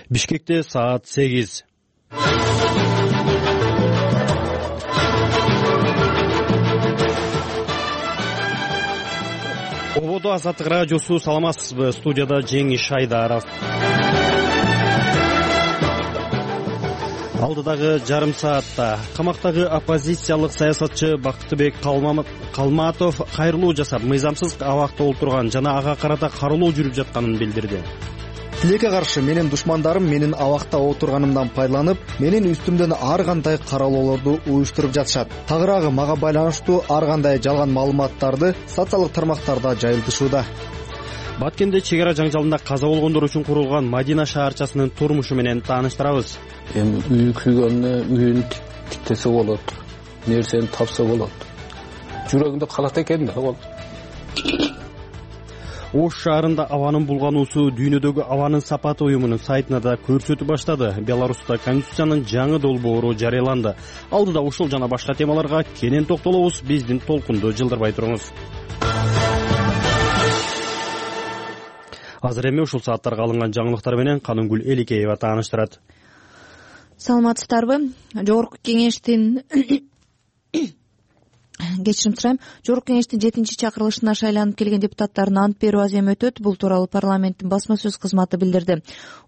Бишкекте саат 8. Ободо Азаттык радиосу, саламатсызбы? Студияда Жеңиш Айдаров. Алдыдагы жарым саатта камактагы оппозициялык саясатчы Бактыбек Калматов кайрылуу жасап, мыйзамсыз абакта отурган жана ага карата каралоо жүрүп жатканын билдирди. Тилекке каршы менин душмандарым менин абакта отурганымдан пайдаланып, менин үстүмдөн ар кандай каралоолорду уюштуруп жатышат. Тагыраагы мага байланыштуу ар кандай жалган маалыматтарды социалдык тармактарда жайылтышууда. Баткенде чек ара жаңжалында каза болгондор үчүн курулган Мадина шаарчасынын турмушу менен тааныштырабыз. Эми үй күйгөндө үйүн тиктесе болот, нерсени тапса болот. Жүрөгүндө калат экен да ал. Ош шаарында абанын булгануусу дүйнөдөгү абанын сапаты уюмунун сайтына да көрсөтүп баштады. Беларуста Конституциянын жаңы долбоору жарыяланды. Алдыда ушул жана башка темаларга кенен токтолобуз. Биздин толкунду жылдырбай туруңуз. Азыр эми ушул сааттарга алынган жаңылыктар менен Канынгүл Эликеева тааныштырат. Саламатсыздарбы? Жогорку кеңештин Жогорку кеңештин 7-чи чакырылышына шайланып келген депутаттардын ант берүү аз эми өтөт. Бул тууралуу парламенттин басма сөз кызматы билдирди.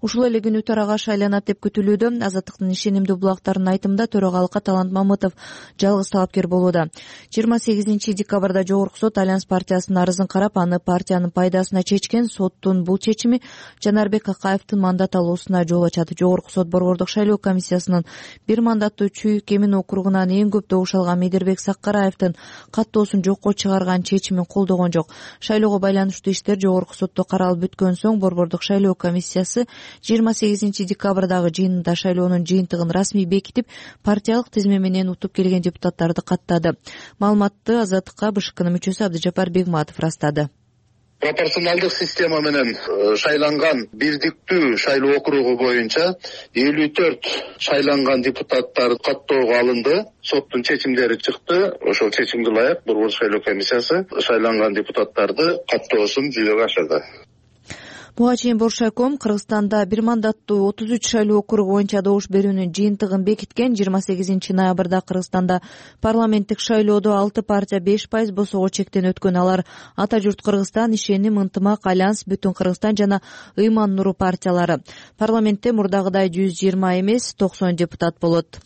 Ушул эле күнү төрага шайланат деп күтүлүүдө. Азаттыктын ишенимдүү булактарынын айтымында төрагалыкка Талант Мамытов жалгыз талапкер болууда. 28 декабрда Жогорку сот Альянс партиясынын арызын карап, аны партиянын пайдасына чечкен. Соттун бул чечими Жанарбек Акаевдин мандат алуусуна жол ачат. Жогорку сот борбордук шайлоо комиссиясынын бир мандаттуу Чүйүк Эмин округунан эң көп добуш алган Медербек Саккараевдин каттоосун жокко чыгарган чечимин колдогон жок. Шайлоого байланыштуу иштер Жогорку сотто каралып бүткөн соң борбордук шайлоо комиссиясы 28 декабрдагы жыйынында шайлоонун жыйынтыгын расмий бекитип, партиялык тизме менен утуп келген депутаттарды каттады. Маалыматты Азаттыкка БШКнын мүчөсү Абдыжапар Бегматов растады. Пропорционалдык система менен шайланган бирдиктүү шайлоо округу боюнча 54 шайланган депутаттар каттоого алынды. Соттун чечимдери чыкты. Ошол чечимге ылайык борбордук шайлоо комиссиясы шайланган депутаттарды каттоосун жүзөгө ашырды. Буга чейин Боршайком Кыргызстанда бир мандаттуу 33 шайлоо округу боюнча добуш берүүнүн жыйынтыгын бекиткен. 28 ноябрда Кыргызстанда парламенттик шайлоодо 6 партия 5% босого чектен өткөн. Алар Ата журт Кыргызстан, Ишеним, Ынтымак, Альянс, Бүтүн Кыргызстан жана Ыйман Нуру партиялары. Парламентте мурдагыдай 120 эмес 90 депутат болот.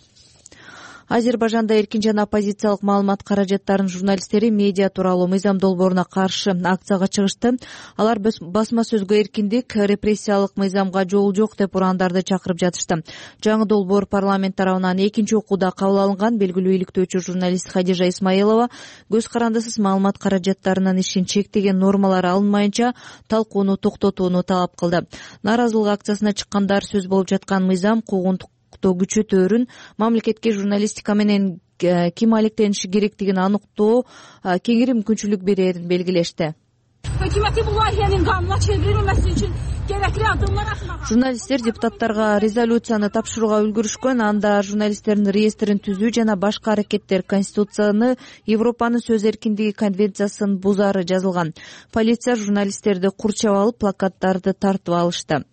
Азербайжанда эркин жана оппозициялык маалымат каражаттарынын журналисттери медиа тууралуу мыйзам долбооруна каршы акцияга чыгышты. Алар басма сөзгө эркиндик, репрессиялык мыйзамга жол жок деп урандарды чакырып жатышты. Жаңы долбоор парламент тарабынан экинчи окууда кабыл алынган. Белгилүү иликтөөчү журналист Хадижа Исмаилова көз карандысыз маалымат каражаттарынын ишин чектеген нормалар алынмайынча талкууну токтотууну талап кылды. Нааразылык акциясына чыккандар сөз болуп жаткан мыйзам куугунтук күчөтөөрүн, мамлекетке журналистика менен ким алектениши керектигин аныктоо кеңири мүмкүнчүлүк берерин белгилешти. Журналисттер депутаттарга резолюцияны тапшырууга үлгүрүшкөн. Анда журналисттердин реестрин түзүү жана башка аракеттер Конституцияны, Европанын сөз эркиндиги конвенциясын бузаары жазылган. Полиция журналисттерди курчап алып, плакаттарды тартып алышты.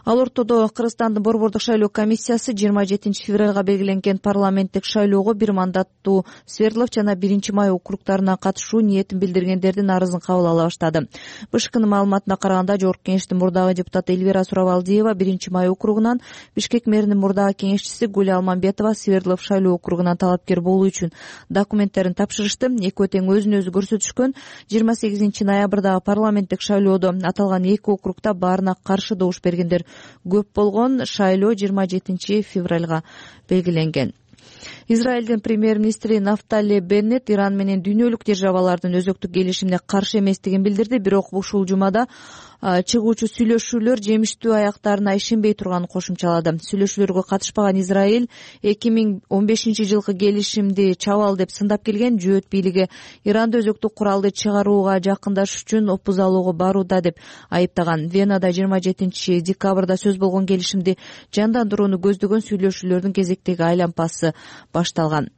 Ал ортодо Кыргызстандын борбордук шайлоо комиссиясы 27 февралга белгиленген парламенттик шайлоого бир мандаттуу Свердлов жана 1-Май округтарына катышуу ниетин билдиргендердин арызын кабыл ала баштады. БШКнын маалыматына караганда, Жогорку кеңештин мурдагы депутаты Эльвира Сурабалдиева 1-Май округунан, Бишкек мэринин мурдагы кеңешчиси Гүль Алмамбетова Свердлов шайлоо округунан талапкер болуу үчүн документтерин тапшырышты. Экөө тең өзүн өзү көрсөтүшкөн. 28 ноябрдагы парламенттик шайлоодо аталган эки округда баарына каршы добуш бергендер көп болгон. Шайлоо 27 февралга белгиленген. Израилдин премьер-министри Нафтали Беннет Иран менен дүйнөлүк державалардын өзөктүк келишимине каршы эместигин билдирди. Бирок ушул жумада чыгуучу сүйлөшүүлөр жемиштүү аяктарына ишенбей турганын кошумчалады. Сүйлөшүүлөргө катышпаган Израиль 2015 жылкы келишимди чабал деп сындап келген. Жөөт бийлиги Иранды өзөктүк куралды чыгарууга жакындашыш үчүн опуз алууга барууда деп айыптаган. Венада 27 декабрда сөз болгон келишимди жандандырууну көздөгөн сүйлөшүүлөрдүн кезектеги айлампасы башталган.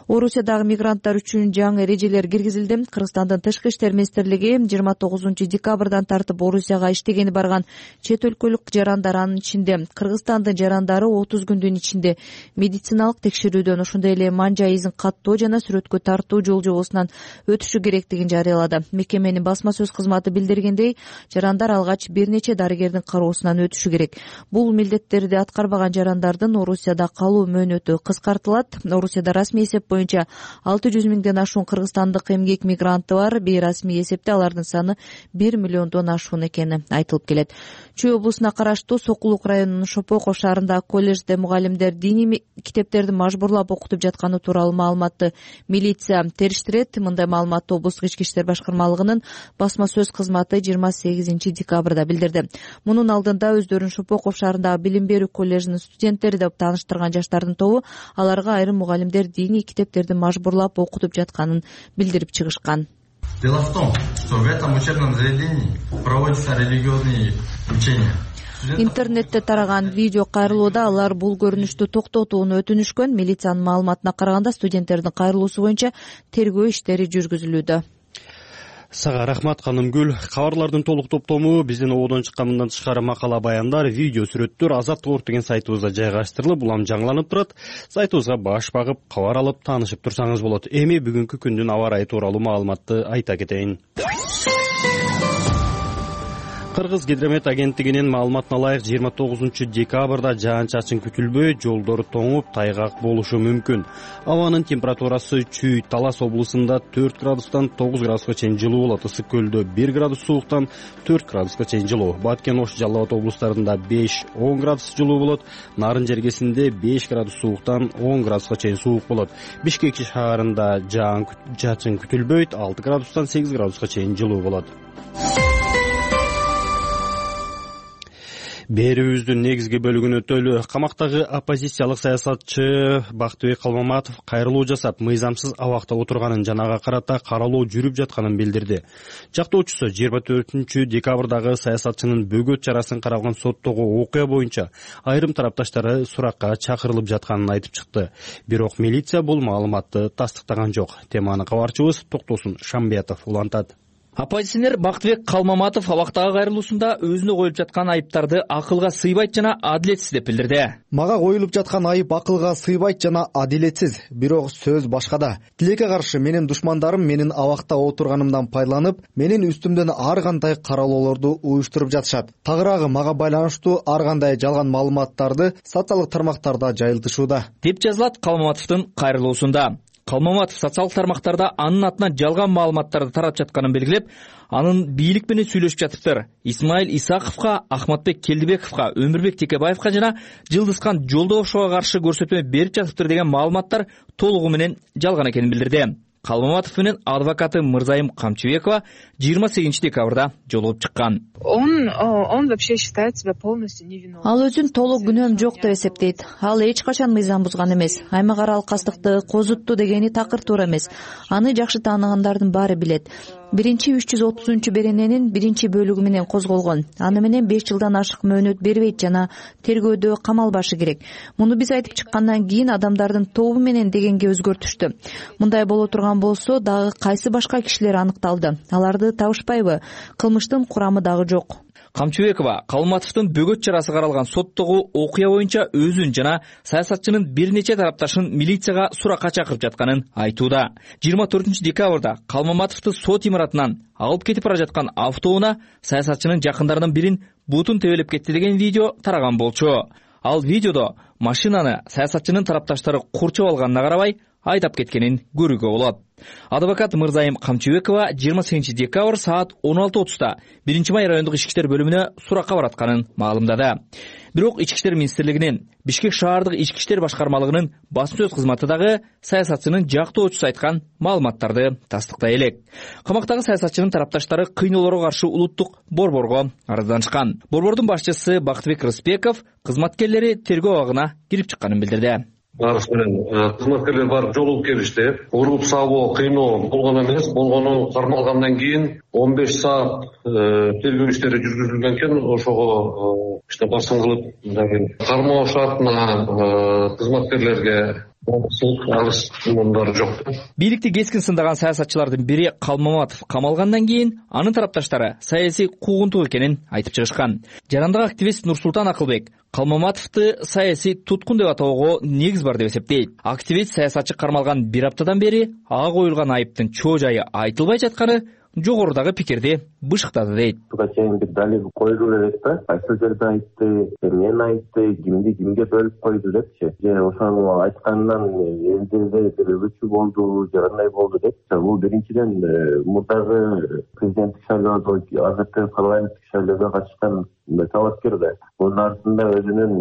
Орусиядагы мигранттар үчүн жаңы эрежелер киргизилди. Кыргызстандын Тышкы иштер министрлиги 29 декабрдан тартып Орусия Орусияга иштегени барган чет өлкөлүк жарандар, анын ичинде Кыргызстандын жарандары 30 күндүн ичинде медициналык текшерүүдөн, ошондой эле манжа изин каттоо жана сүрөткө тартуу жол жобосунан өтүшү керектигин жарыялады. Мекеменин басма сөз кызматы билдиргендей, жарандар алгач бир нече дарыгердин кароосунан өтүшү керек. Бул милдеттерди аткарбаган жарандардын Орусияда калуу мөөнөтү кыскартылат. Орусияда расмий эсеп боюнча 600 миңден ашуун кыргызстандык эмгек мигранты бар. Бейрасмий эсепте алардын саны 1 миллиондон ашуун экени айтылып келет. Чүй облусуна караштуу Сокулук районунун Шопоков шаарындагы колледжде мугалимдер диний китептерди мажбурлап окутуп жатканы тууралуу маалыматты милиция териштирет. Мындай маалыматты облустук ички иштер башкармалыгынын басма сөз кызматы 28 декабрда билдирди. Мунун алдында өздөрүн Шопоков шаарындагы билим берүү коллежинин студенттери деп тааныштырган жаштардын тобу аларга айрым мугалимдер диний китептерди мажбурлап окутуп жатканын билдирип чыгышкан. Дело в том, что в этом учебном заведении проводятся религиозные учения. Интернетте тараган видео кайрылууда алар бул көрүнүштү токтотууну өтүнүшкөн. Милициянын маалыматына караганда студенттердин кайрылуусу боюнча тергөө иштери жүргүзүлүүдө. Сага рахмат Канымгүл. Кабарлардын толук топтому биздин ободон чыккан мындан тышкары макала баяндар, видео сүрөттөр Азаттык Орг деген сайтыбызда жайгаштырылып, улам жаңыланып турат. Сайтыбызга баш багып, кабар алып таанышып турсаңыз болот. Эми бүгүнкү күндүн аба ырайы тууралуу маалыматты айта кетейин. Кыргыз гидромет агенттигинин маалыматына ылайык 29 декабрда жаан-чачын күтүлбөй, жолдор тоңуп, тайгак болушу мүмкүн. Абанын температурасы Чүй, Талас облусунда 4 градустан 9 градуска чейин жылуу болот. Ысык көлдө 1 градус сууктан 4 градуска чейин жылуу. Баткен, Ош, Жалал Абад облустарында 5-10 градус жылуу болот. Нарын жергесинде 5 градус сууктан 10 градуска чейин суук болот. Бишкек шаарында жаан-чачын күтүлбөйт, 6 градустан 8 градуска чейин жылуу болот. Берүүбүздүн негизги бөлүгүнө өтөлү. Камактагы оппозициялык саясатчы Бактыбек Калмаматов кайрылуу жасап, мыйзамсыз абакта отурганын жана ага карата каралоо жүрүп жатканын билдирди. Жактоочусу 24 декабрдагы саясатчынын бөгөт чарасын каралган соттогу окуя боюнча айрым тарапташтары суракка чакырылып жатканын айтып чыкты. Бирок милиция бул маалыматты тастыктаган жок. Теманы кабарчыбыз Токтосун Шамбиятов улантат. Оппозиционер Бактыбек Калмаматов абактагы кайрылуусунда өзүнө коюлуп жаткан айыптарды акылга сыйбайт жана адилетсиз деп билдирди. Мага коюлуп жаткан айып акылга сыйбайт жана адилетсиз, бирок сөз башкада. Тилекке каршы менин душмандарым менин абакта отурганымдан пайдаланып, менин үстүмдөн ар кандай каралоолорду уюштуруп жатышат. Тагыраагы мага байланыштуу ар кандай жалган маалыматтарды социалдык тармактарда жайылтышууда, деп жазылат Калмаматовдун кайрылуусунда. Калмаматов социалдык тармактарда анын атынан жалган маалыматтарды таратып жатканын белгилеп, анын бийлик менен сүйлөшүп жатыптыр. Исмаил Исаковго, Ахматбек Келдибековго, Өмүрбек Текебаевго жана Жылдызкан Жолдошовго каршы көрсөтмө берип жатыптыр деген маалыматтар толугу менен жалган экенин билдирди. Калмаматов менен адвокаты Мырзайым Камчыбекова 28 декабрда жолугуп чыккан. Он вообще считает себя полностью невиновным. Ал өзүн толук күнөөм жок деп эсептейт. Ал эч качан мыйзам бузган эмес. Аймак аралык кастыкты козутту дегени такыр туура эмес. Аны жакшы тааныгандардын баары билет. 330 берененин 1-бөлүгү менен козголгон. Аны менен 5 жылдан ашык мөөнөт бербейт жана тергөөдө камалбашы керек. Муну биз айтып чыккандан кийин адамдардын тобу менен дегенге өзгөртүштү. Мындай боло турган болсо дагы кайсы башка кишилер аныкталды. Аларды табышпайбы? Кылмыштын курамы дагы жок. Камчыбекова Калматовдун бөгөт чарасы каралган соттогу окуя боюнча өзүн жана саясатчынын бир нече тарапташын милицияга суракка чакырып жатканын айтууда. 24 декабрда Калмаматовду сот имаратынан алып кетип бара жаткан автобуна саясатчынын жакындарынын бирин бутун тебелеп кетти деген видео тараган болчу. Ал видеодо машинаны саясатчынын тарапташтары курчап алганына карабай айдап кеткенин көрүүгө болот. Адвокат Мырзайым Камчыбекова 28 декабрь саат 16:30 1 май райондук ички иштер бөлүмүнө суракка баратканын маалымдады. Бирок ички иштер министрлигинин Бишкек шаардык ички иштер башкармалыгынын басма сөз кызматы дагы саясатчынын жактоочусу айткан маалыматтарды тастыктай элек. Камактагы саясатчынын тарапташтары кыйноолорго каршы улуттук борборго арызданышкан. Борбордун башчысы Бактыбек Рыспеков кызматкерлери тергөө абагына кирип чыкканын билдирди. Арыз менен кызматкерлер барып жолугуп келишти. Уруп сабоо кыйноо болгон эмес. Болгону кармалгандан кийин 15 саат тергөө иштери жүргүзүлгөн экен. Ошого басым кылып кармоо шартына кызматкерлерге алыс мундары жок. Бийликти кескин сындаган саясатчылардын бири Калмаматов камалгандан кийин анын тарапташтары саясий куугунтук экенин айтып чыгышкан. Жарандык активист Нурсултан Акылбек Калмаматовду саясий туткун деп атоого негиз бар деп эсептейт. Активист саясатчы кармалган бир аптадан бери ага коюлган айыптын чоо жайы айтылбай жатканы жогорудагы пикирди бышыктады дейт. Буга чейин бир далил коюлуп элек да, кайсы жерде айтты, эмнени айтты, кимди кимге бөлүп койду депчи. Же ошону айткандан элдерде бир өбүчү болду, же кандай болду деп. Бул биринчиден мурдагы президенттик шайлоодо, азыркы парламенттик шайлоого катышкан талапкер да. Мунун артында өзүнүн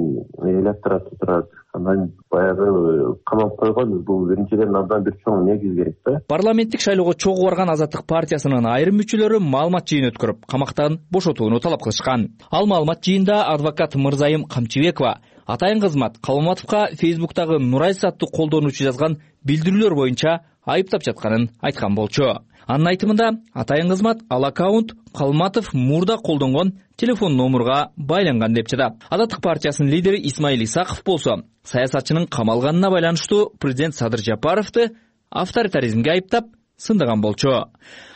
электораты турат. Андан баягы камап койгон, бул биринчиден абдан бир чоң негиз керек да. Парламенттик шайлоого чогуу барган Азаттык партиясынын айрым мүчөлөрү маалымат жыйын өткөрүп, камактан бошотууну талап кылышкан. Ал маалымат жыйында адвокат Мырзайым Камчыбекова атайын кызмат Калмаматовго Фейсбуктагы Нурайс аттуу колдонуучу жазган билдирүүлөр боюнча айыптап жатканын айткан болчу. Анын айтымында атайын кызмат ал аккаунт Калматов мурда колдонгон телефон номурга байланган деп жатат. Азаттык партиясынын лидери Исмаил Исаков болсо саясатчынын камалганына байланыштуу президент Садыр Жапаровду авторитаризмге айыптап сындаган болчу.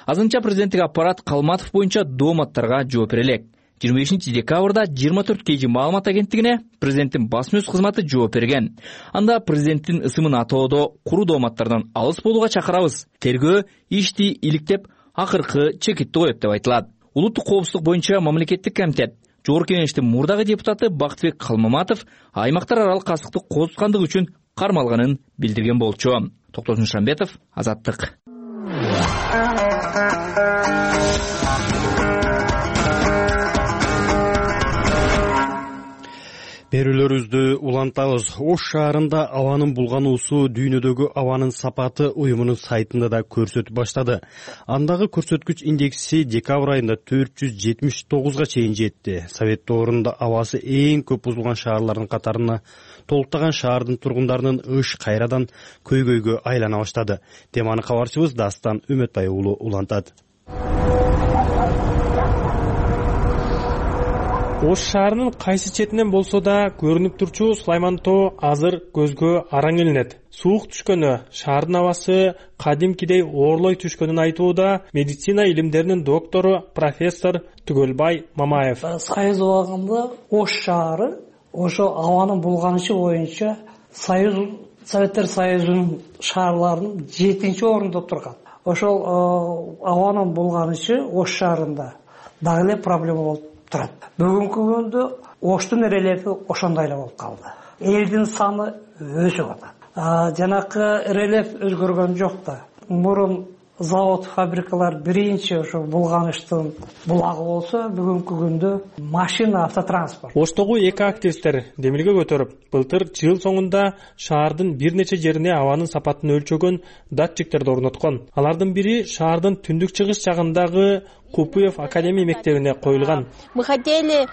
Азырынча президенттик аппарат Калматов боюнча дооматтарга жооп бере элек. 25 декабрда 24 KG маалымат агенттигине президенттин басма сөз кызматы жооп берген. Анда президенттин ысымын атоодо куру дооматтардан алыс болууга чакырабыз. Тергөө ишти иликтеп акыркы чекитти коет деп айтылат. Улуттук коопсуздук боюнча мамлекеттик комитет Жогорку Кеңештин мурдагы депутаты Бактыбек Калмаматов аймактар аралык кастыкты козуткандыгы үчүн кармалганын билдирген болчу. Токтосун Шамбетов, Азаттык. Берүүлөрүбүздү улантабыз. Ош шаарында абанын булгануусу дүйнөдөгү абанын сапаты уюмунун сайтында да көрсөтүп баштады. Андагы көрсөткүч индекси декабрь айында 479га чейин жетти. Совет доорунда абасы эң көп бузулган шаарлардын катарына толуктаган шаардын тургундарынын ыш кайрадан көйгөйгө айлана баштады. Теманы кабарчыбыз Дастан Үмөтбай уулу улантат. Ош шаарынын кайсы четинен болсо да көрүнүп турчу Сулайман тоо азыр көзгө араң илинет. Суук түшкөнү, шаардын абасы кадимкидей оорлой түшкөнүн айтууда медицина илимдеринин доктору профессор Түгөлбай Мамаев. Союз убагында Ош шаары ошо абанын булганышы боюнча Советтер Союзунун шаарларынын 7-орунда турган. Ошол абанын булганышы Ош шаарында дагы эле проблема болуп турат. Бүгүнкү күндө Оштун рельефи ошондой эле болуп калды. Элдин саны өсүп атат. Жанакы рельеф өзгөргөн жок да. Мурун завод, фабрикалар биринчи ошо булганыштын булагы болсо, бүгүнкү күндө машина, автотранспорт. Оштогу эки активисттер демилге көтөрүп, былтыр жыл соңунда шаардын бир нече жерине абанын сапатын өлчөгөн датчиктерди орноткон. Алардын бири шаардын түндүк чыгыш жагындагы Купуев академия мектебине коюлган. Мы хотели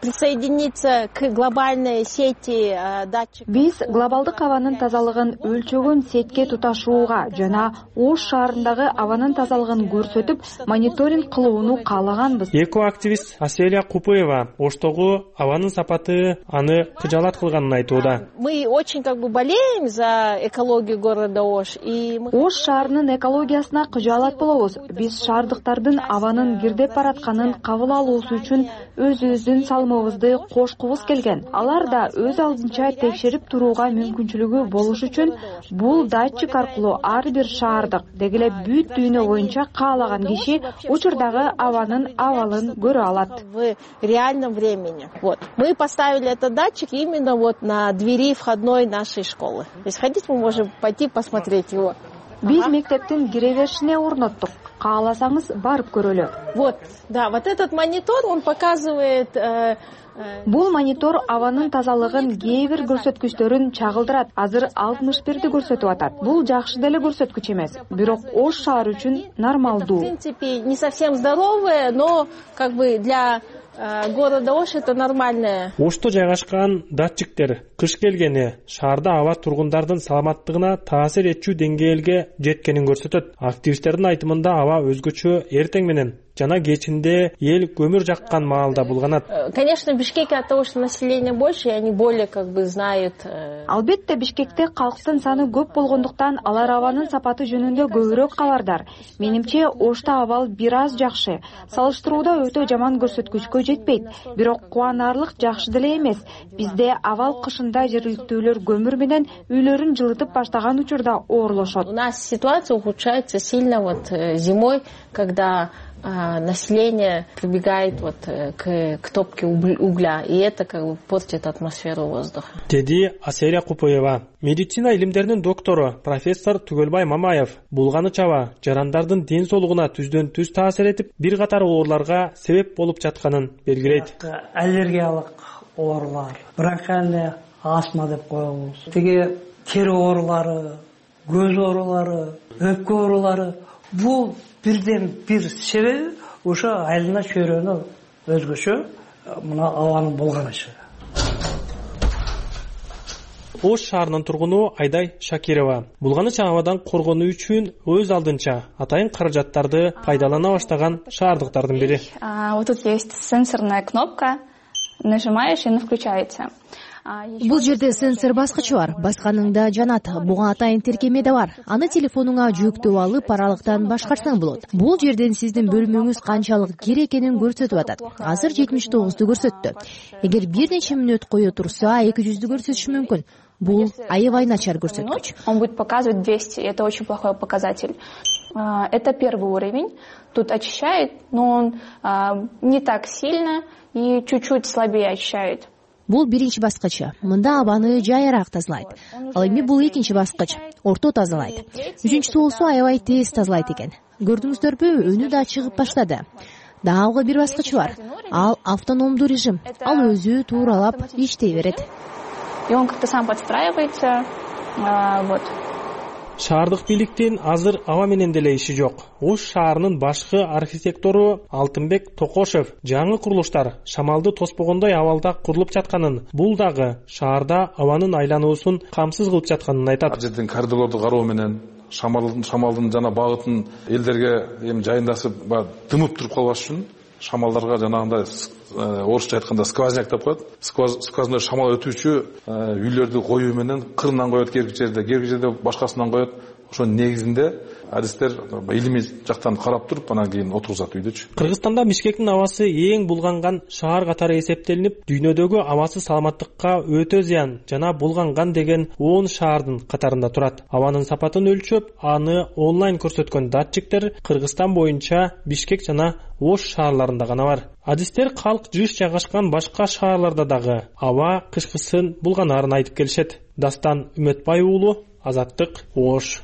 присоединиться к глобальной сети датчиков. Биз глобалдык абанын тазалыгын өлчөгөн сетке туташууга жана Ош шаарындагы абанын тазалыгын көрсөтүп, мониторинг кылууну каалаганбыз. Эко активист Аселия Купуева Оштогу абанын сапаты аны кыжаалат кылганын айтууда. Мы очень болеем за экологию города Ош. Ош шаарынын экологиясына кыжаалат болобуз. Биз шаардыктардын абанын кирдеп баратканын кабыл алуусу үчүн өзүбүздүн салымыбызды кошкубуз келген. Алар да өз алдынча текшерип турууга мүмкүнчүлүгү болуш үчүн бул датчик аркылуу ар бир шаардык дегеле бүт дүйнө боюнча каалаган киши учурдагы абанын абалын көрө алат. В реальном времени. Мы поставили этот датчик именно на двери входной нашей школы. Если хотите, мы можем пойти посмотреть его. Биз мектептин кире беришине орноттук. Кааласаңыз барып көрөлү. Вот этот монитор, он показывает. Бул монитор абанын тазалыгын кээ бир көрсөткүчтөрүн чагылдырат. Азыр 61ди көрсөтүп атат. Бул жакшы деле көрсөткүч эмес, бирок Ош шаары үчүн нормалдуу. В принципе, не совсем здоровое, но для города Ош это нормальное. Ошто жайгашкан датчиктер кыш келгени шаарда аба тургундардын саламаттыгына таасир этчү деңгээлге жеткенин көрсөтөт. Активисттердин айтымында аба өзгөчө эртең менен жана кечинде эл көмүр жаккан маалда булганат. Конечно, в Бишкеке от того, что население больше, и они более знают. Албетте Бишкекте калктын саны көп болгондуктан алар абанын сапаты жөнүндө көбүрөөк кабардар. Менимче Ошто абал бир аз жакшы. Салыштырууда өтө жаман көрсөткүчкө жетпейт. Бирок кубанарлык жакшы деле эмес. Бизде абал кышында жергиликтүүлөр көмүр менен үйлөрүн жылытып баштаган учурда оорлошот. У нас ситуация ухудшается сильно зимой, когда население прибегает к топке угля, и это портит атмосферу воздуха. Деди Асерия Купоева. Медицина илимдеринин доктору профессор Түгөлбай Мамаев булганы чаба жарандардын ден соолугуна түздөн түз таасир этип, бир катар ооруларга себеп болуп жатканын белгилейт. Аллергиялык оорулар, бронхиальный астма деп коебуз. Тиги тери оорулары, көз оорулары, өпкө оорулары, бул бирден бир себеби ошо айлана чөйрөнү өзгөчө мына абанын булганышы. Ош шаарынын тургуну Айдай Шакирова булганыч абадан коргонуу үчүн өз алдынча атайын каражаттарды пайдалана баштаган шаардыктардын бири. Вот тут есть сенсорная кнопка, нажимаешь и она включается. Бул жерде сенсор баскычы бар, басканыңда жанат. Буга атайын тиркеме да бар. Аны телефонуңа жүктөп алып, аралыктан башкарсаң болот. Бул жерден сиздин бөлмөңүз канчалык кир экенин көрсөтүп атат. Азыр 79ду көрсөттү. Эгер бир нече мүнөт кое турса, 200ду көрсөтүшү мүмкүн. Бул аябай начар көрсөткүч. Он будет показывать 200, это очень плохой показатель. Это первый уровень. Тут очищает, но он не так сильно и чуть-чуть слабее очищает. Бул биринчи баскычы. Мында абаны жайыраак тазалайт. Ал эми бул экинчи баскыч. Орто тазалайт. Үчүнчүсү болсо аябай тез тазалайт экен. Көрдүңүздөрбү, өнү да чыгып баштады. Дагы бир баскыч бар. Ал автономдуу режим. Ал өзү тууралап иштей берет. И он как-то сам подстраивается. Вот. Шаардык бийликтин азыр аба менен деле иши жок. Ош шаарынын башкы архитектору Алтынбек Токошев жаңы курулуштар шамалды тоспогондой абалда курулуп жатканын, бул дагы шаарда абанын айлануусун камсыз кылып жатканын айтат. Ал жерден коридорлорду кароо менен шамалдын жана багытын элдерге эми жайындасып дымып туруп калбаш үчүн шамалдарга жанагындай орусча айтканда сквозняк деп коет. Сквозной шамал өтүүчү үйлөрдү коюу менен кырынан коет, кээ бир жерде башкасынан коет. Ошонун негизинде адистер илимий жактан карап туруп, анан кийин отургузат үйдөчү. Кыргызстанда Бишкектин абасы эң булганган шаар катары эсептелинип, дүйнөдөгү абасы саламаттыкка өтө зыян жана булганган деген 10 шаардын катарында турат. Абанын сапатын өлчөп, аны онлайн көрсөткөн датчиктер Кыргызстан боюнча Бишкек жана Ош шаарларында гана бар. Адистер калк жыш жайгашкан башка шаарларда дагы аба кышкысын булганарын айтып келишет. Дастан Үмөтбай уулу, Азаттык, Ош.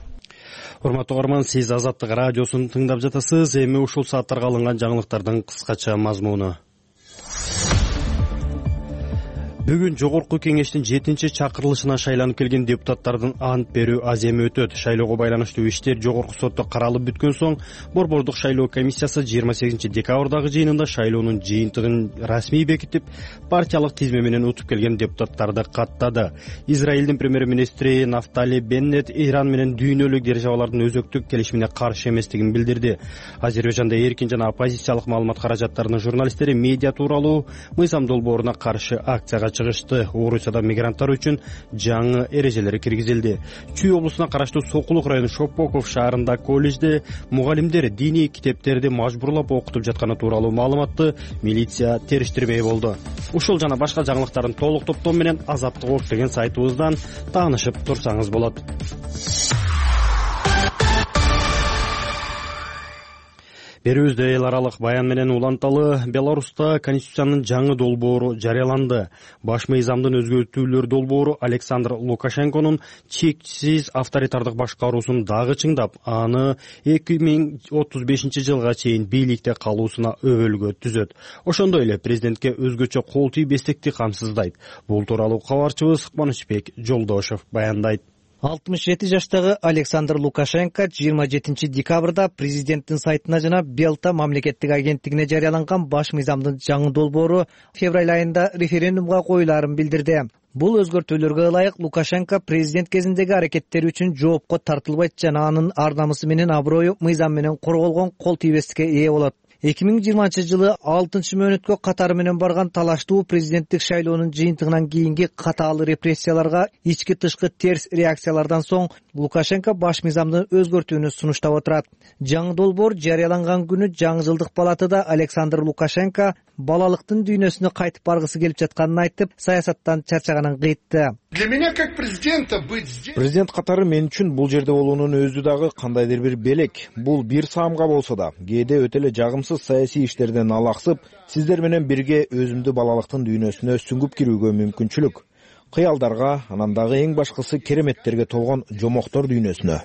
Урматтуу угарман, сиз Азаттык радиосун тыңдап жатасыз. Эми ушул сааттарга алынган жаңылыктардын кыскача мазмуну. Бүгүн жогорку кеңештин 7-чакырылышына шайланып келген депутаттардын ант берүү аземи өтөт. Шайлоого байланыштуу иштер жогорку сотто каралып бүткөн соң, Борбордук шайлоо комиссиясы 28 декабрдагы жыйынында шайлоонун жыйынтыгын расмий бекитип, партиялык тизме менен утуп келген депутаттарды каттады. Израилдин премьер-министри Нафтали Беннет Иран менен дүйнөлүк державалардын өзөктүк келишимине каршы эместигин билдирди. Азербайжанда эркин жана оппозициялык маалымат каражаттарынын журналисттери медиа тууралуу мыйзам долбооруна каршы акцияга чыгышты. Орусияда мигранттар үчүн жаңы эрежелер киргизилди. Чүй облусуна караштуу Сокулук району Шопоков шаарында колледжде мугалимдер диний китептерди мажбурлап окутуп жатканы тууралуу маалыматты милиция териштирмей болду. Ушул жана башка жаңылыктардын толук топтому менен Азаттык Ош деген сайтыбыздан таанышып турсаңыз болот. Берүүбүздө эл аралык баян менен уланталы Беларуста Конституциянын жаңы долбоору жарыяланды. Баш мыйзамдын өзгөртүүлөр долбоору Александр Лукашенконун чексиз авторитардык башкаруусун дагы чыңдап, аны 2035 жылга чейин бийликте калуусуна өбөлгө түзөт. Ошондой эле президентке өзгөчө кол тийбестикти камсыздайт. Бул тууралуу кабарчыбыз Кубанычбек Жолдошев баяндайт. 67 жаштагы Александр Лукашенко 27 декабрда президенттин сайтына жана Белта мамлекеттик агенттигине жарыяланган баш мыйзамдын жаңы долбоору февраль айында референдумга коюлаарын билдирди. Бул өзгөртүүлөргө ылайык Лукашенко президент кезиндеги аракеттери үчүн жоопко тартылбайт жана анын ар намысы менен аброю мыйзам менен корголгон кол тийбестикке ээ болот. 2020 жылы 6-мөөнөткө катары менен барган талаштуу президенттик шайлоонун жыйынтыгынан кийинки катаал репрессияларга ички тышкы терс реакциялардан соң Лукашенко баш мыйзамды өзгөртүүнү сунуштап отурат. Жаңы долбоор жарыяланган күнү жаңы жылдык палатада Александр Лукашенко балалыктын дүйнөсүнө кайтып баргысы келип жатканын айтып, саясаттан чарчаганын кыйтты. Для меня как президента быть здесь. Президент катары мен үчүн бул жерде болуунун өзү дагы кандайдыр бир белек. Бул бир саамга болсо да, кээде өтө эле жагымсыз саясий иштерден алаксып, сиздер менен бирге өзүмдү балалыктын дүйнөсүнө сүңгүп кирүүгө мүмкүнчүлүк. Кыялдарга, анан дагы эң башкысы кереметтерге толгон жомоктор дүйнөсүнө.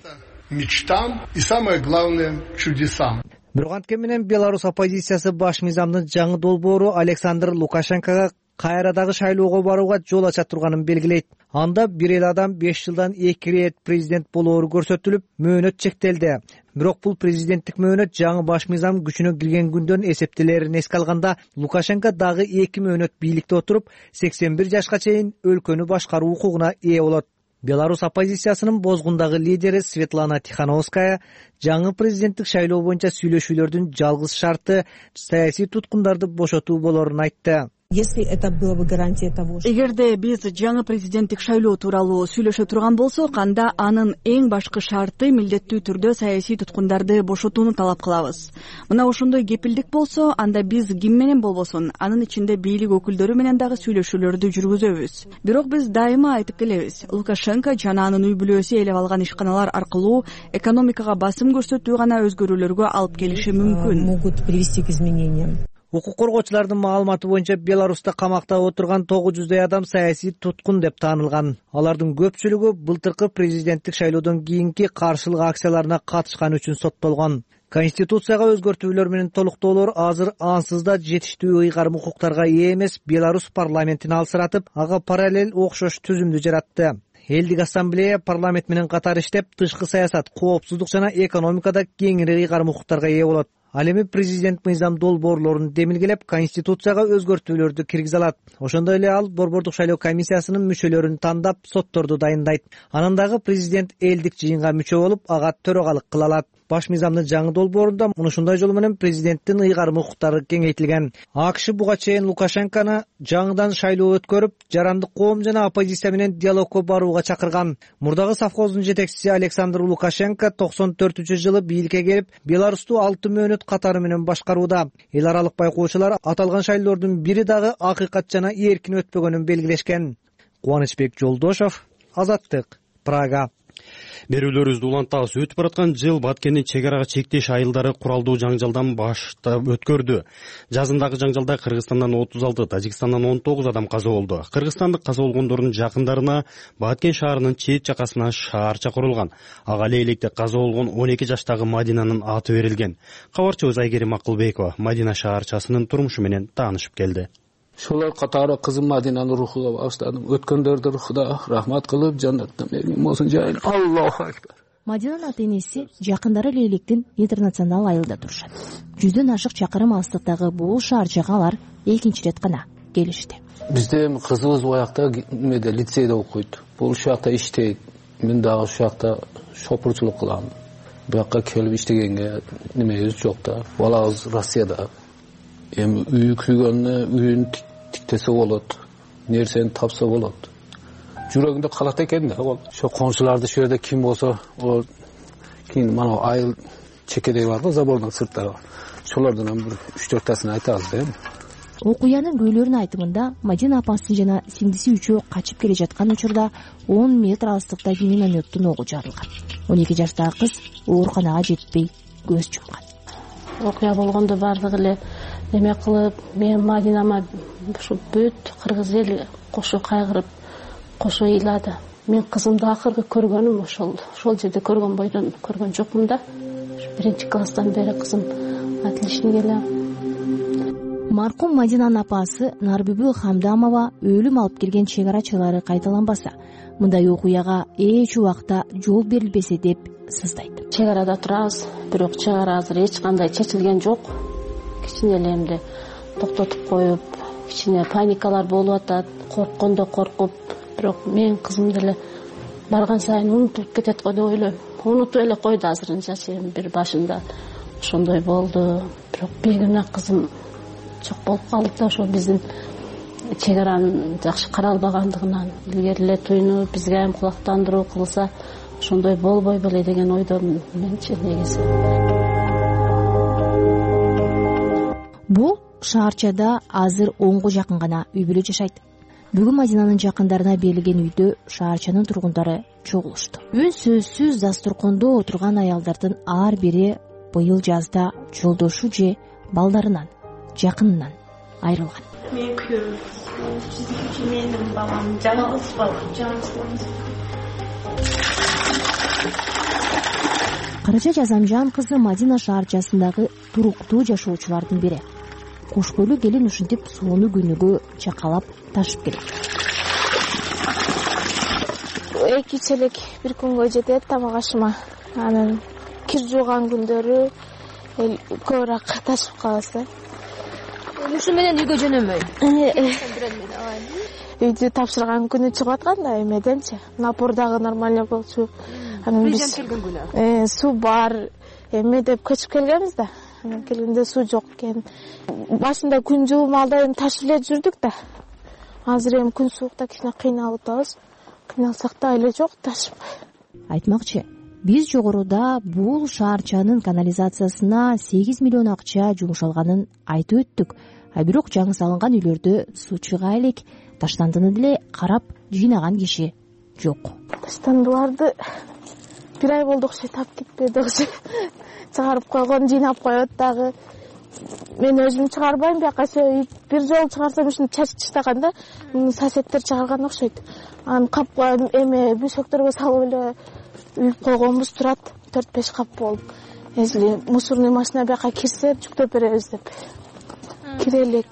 Мечтам и самое главное чудесам. Бирок анткени менен Беларусь оппозициясы баш мыйзамдын жаңы долбоору Александр Лукашенкого кайра дагы шайлоого барууга жол ача турганын белгилейт. Анда бир эле адам 5 жылдан 2 ирет президент болоору көрсөтүлүп, мөөнөт чектелди. Бирок бул президенттик мөөнөт жаңы баш мыйзам күчүнө кирген күндөн эсептелерин эске алганда, Лукашенко дагы 2 мөөнөт бийликте отуруп, 81 жашка чейин өлкөнү башкаруу укугуна ээ болот. Беларусь оппозициясынын бозгундагы лидери Светлана Тихановская жаңы президенттик шайлоо боюнча сүйлөшүүлөрдүн жалгыз шарты саясий туткундарды бошотуу болорун айтты. Если это было бы гарантия того, что эгерде биз жаңы президенттик шайлоо тууралуу сүйлөшө турган болсок, анда анын эң башкы шарты милдеттүү түрдө саясий туткундарды бошотууну талап кылабыз. Мына ошондой кепилдик болсо, анда биз ким менен болбосун, анын ичинде бийлик өкүлдөрү менен дагы сүйлөшүүлөрдү жүргүзөбүз. Бирок биз дайыма айтып келебиз, Лукашенко жана анын үй бүлөсү ээлеп алган ишканалар аркылуу экономикага басым көрсөтүү гана өзгөрүүлөргө алып келиши мүмкүн. Могут привести к изменениям. Укук коргоочулардын маалыматы боюнча Беларуста камакта отурган 900 адам саясий туткун деп таанылган. Алардын көпчүлүгү былтыркы президенттик шайлоодон кийинки каршылык акцияларына катышкан үчүн соттолгон. Конституцияга өзгөртүүлөр менен толуктоолор азыр ансыз да жетиштүү ыйгарым укуктарга ээ эмес Беларусь парламентин алсыратып, ага параллель окшош түзүмдү жаратты. Элдик ассамблея парламент менен катар иштеп, тышкы саясат, коопсуздук жана экономикада кеңири ыйгарым укуктарга ээ болот. Ал эми президент мыйзам долбоорлорун демилгелеп, конституцияга өзгөртүүлөрдү киргизе алат. Ошондой эле ал борбордук шайлоо комиссиясынын мүчөлөрүн тандап, сотторду дайындайт. Анан дагы президент элдик жыйынга мүчө болуп, ага төрагалык кыла алат. Баш мыйзамдын жаңы долбоорунда ушундай жол менен президенттин ыйгарым укуктары кеңейтилген. АКШ буга чейин Лукашенкону жаңыдан шайлоо өткөрүп, жарандык коом жана оппозиция менен диалогко барууга чакырган. Мурдагы совхоздун жетекчиси Александр Лукашенко 94-жылы бийликке келип, Беларусту 6 мөөнөт катары менен башкарууда. Эл аралык байкоочулар аталган шайлоолордун бири дагы акыйкат жана эркин өтпөгөнүн белгилешкен. Кубанычбек Жолдошов, Азаттык, Прага. Берүүлөрүбүздү улантабыз. Өтүп бараткан жыл Баткендин чек арага чектеш айылдары куралдуу жаңжалдан баштап өткөрдү. Жазындагы жаңжалда Кыргызстандан 36, Тажикстандан 19 адам каза болду. Кыргызстандык каза болгондордун жакындарына Баткен шаарынын чет жакасына шаарча курулган. Ага эле электе каза болгон 12 жаштагы Мадинанын аты берилген. Кабарчыбыз Айгерим Акылбекова Мадина шаарчасынын турмушу менен таанышып келди. Шолар катары кызым Мадинанын рухуга баштадым. Өткөндөрдү рухуда рахмат кылып, жаннатта меңим болсун жайын. Аллаху акбар. Мадинанын ата-энеси жакындары эле электин интернационал айылда турушат. 100дөн ашык чакырым алыстыктагы бул шаарчага алар экинчи рет гана келишти. Бизде кызыбыз буякта немеде лицейде окуйт. Бул шакта иштейт. Мен дагы шакта шопурчулук кылам. Буякка келип иштегенге немебиз жок да. Балабыз Россияда. Эми үй күйгөнү үйүн тиктесе болот. Нерсени тапса болот. Жүрөгүндө калат экен да. Ошо коншуларды шу жерде ким болсо, о кийин мана айыл чекедей барбы, забордун сырттары. Шолордон бир 3-4 тасын айтабыз да. Окуянын күйлөрүнүн айтымында Мадина апасы жана сиңдиси үчөө качып келе жаткан учурда 10 метр алыстыкта минометтин огу жарылган. 12 жаштагы кыз ооруканага жетпей көз жумкан. Окуя болгондо бардыгы эле неме кылып, мен Мадинама ушу бүт кыргыз эл кошо кайгырып, кошо ыйлады. Мен кызымды акыркы көргөнүм ошол жерде көргөн бойдон көргөн жокмун да. 1-класстан бери кызым отличник эле. Маркум Мадинанын апасы Нарбүбү Хамдамова өлүм алып келген чек арачылары кайталанбаса, мындай окуяга эч убакта жол берилбесе деп сыздайт. Чек арада турабыз, бирок чек ара азыр эч кандай чечилген жок. Кичине эле эмди токтотуп коюп, кичине паникалар болуп атат, корккондо коркуп, бирок мен кызым деле барган сайын унутуп кетет го деп ойлойм. Унутуп эле койду азырынча, бир башында ошондой болду. бирок бегиме кызым жок болуп калды да, ошо биздин чек аранын жакшы каралбагандыгынан илгери эле туйну бизге айым кулактандыруу кылса ошондой болбой беле деген ойдомун менчи негизи. Бул шаарчада азыр 10го жакын гана үй бүлө жашайт. Бүгүн Мадинанын жакындарына берилген үйдө шаарчанын тургундары чогулушту. Үн сөзсүз дастуркондо отурган аялдардын ар бири быйыл жазда жолдошу же балдарынан, жакынынан айрылган. Мен күйөөм, сиздики менин балам, жалгыз бала. Карача Жазамжан кызы Мадина шаарчасындагы туруктуу жашоочулардын бири. Кош бойлуу келин ушинтип сууну күнүгө чакалап ташып келет. 2 челек бир күнгө жетет тамак ашыма. Анан кир жууган күндөрү көбүрөөк ташып калабыз да. Ушу менен үйгө жөнөмөй. Үйдү тапшырган күнү чыгып атканда эмеденчи. Напор дагы нормально болчу. Анан биз келген күнү. Суу бар эме деп көчүп келгенбиз да. Анан келгенде суу жок экен. Башында күн жуумалда эми ташып эле жүрдүк да. Азыр эми күн суукта кичине кыйналып атабыз. Кыйналсак да эле жок ташып. Айтмакчы, биз жогоруда бул шаарчанын канализациясына 8 миллион акча жумшалганын айтып өттүк. Бирок жаңы салынган үйлөрдө суу чыга элек, таштандыны деле карап жыйнаган киши жок. Таштандыларды бир ай болду окшойт, тап кетпеди окшойт. Чыгарып койгон, жыйнап коет дагы. Мен өзүм чыгарбайм, бияка бир жолу чыгарсам ушуну чачып таштаганда соседтер чыгарган окшойт. Анан капка эме бүсөктөргө салып эле үйүп койгонбуз турат, 4-5 кап болуп. Если мусорный машина бияка кирсе жүктөп беребиз деп. Кире элек.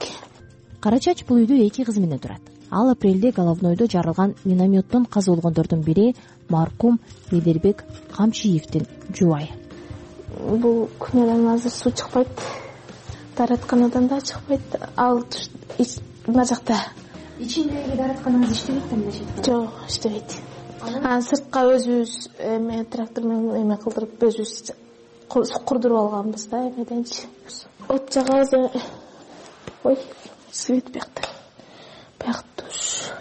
Карачач бул үйдө 2 кызы менен турат. Ал апрелде головнойдо жарылган минометтон каза болгондордун бири маркум Медербек Камчиевдин жубайы. Бул күнөдөн азыр суу чыкпайт. Даратканадан да чыкпайт. Ал мына жакта. Ичиндеги даратканаңыз иштебейт эмнеше? Жок, иштебейт. Анан сыртка өзүбүз эме трактор менен эме кылдырып өзүбүз курдуруп алганбыз да эмеденчи. От жагабыз. Ой, свет бияқта. Бияқтуш.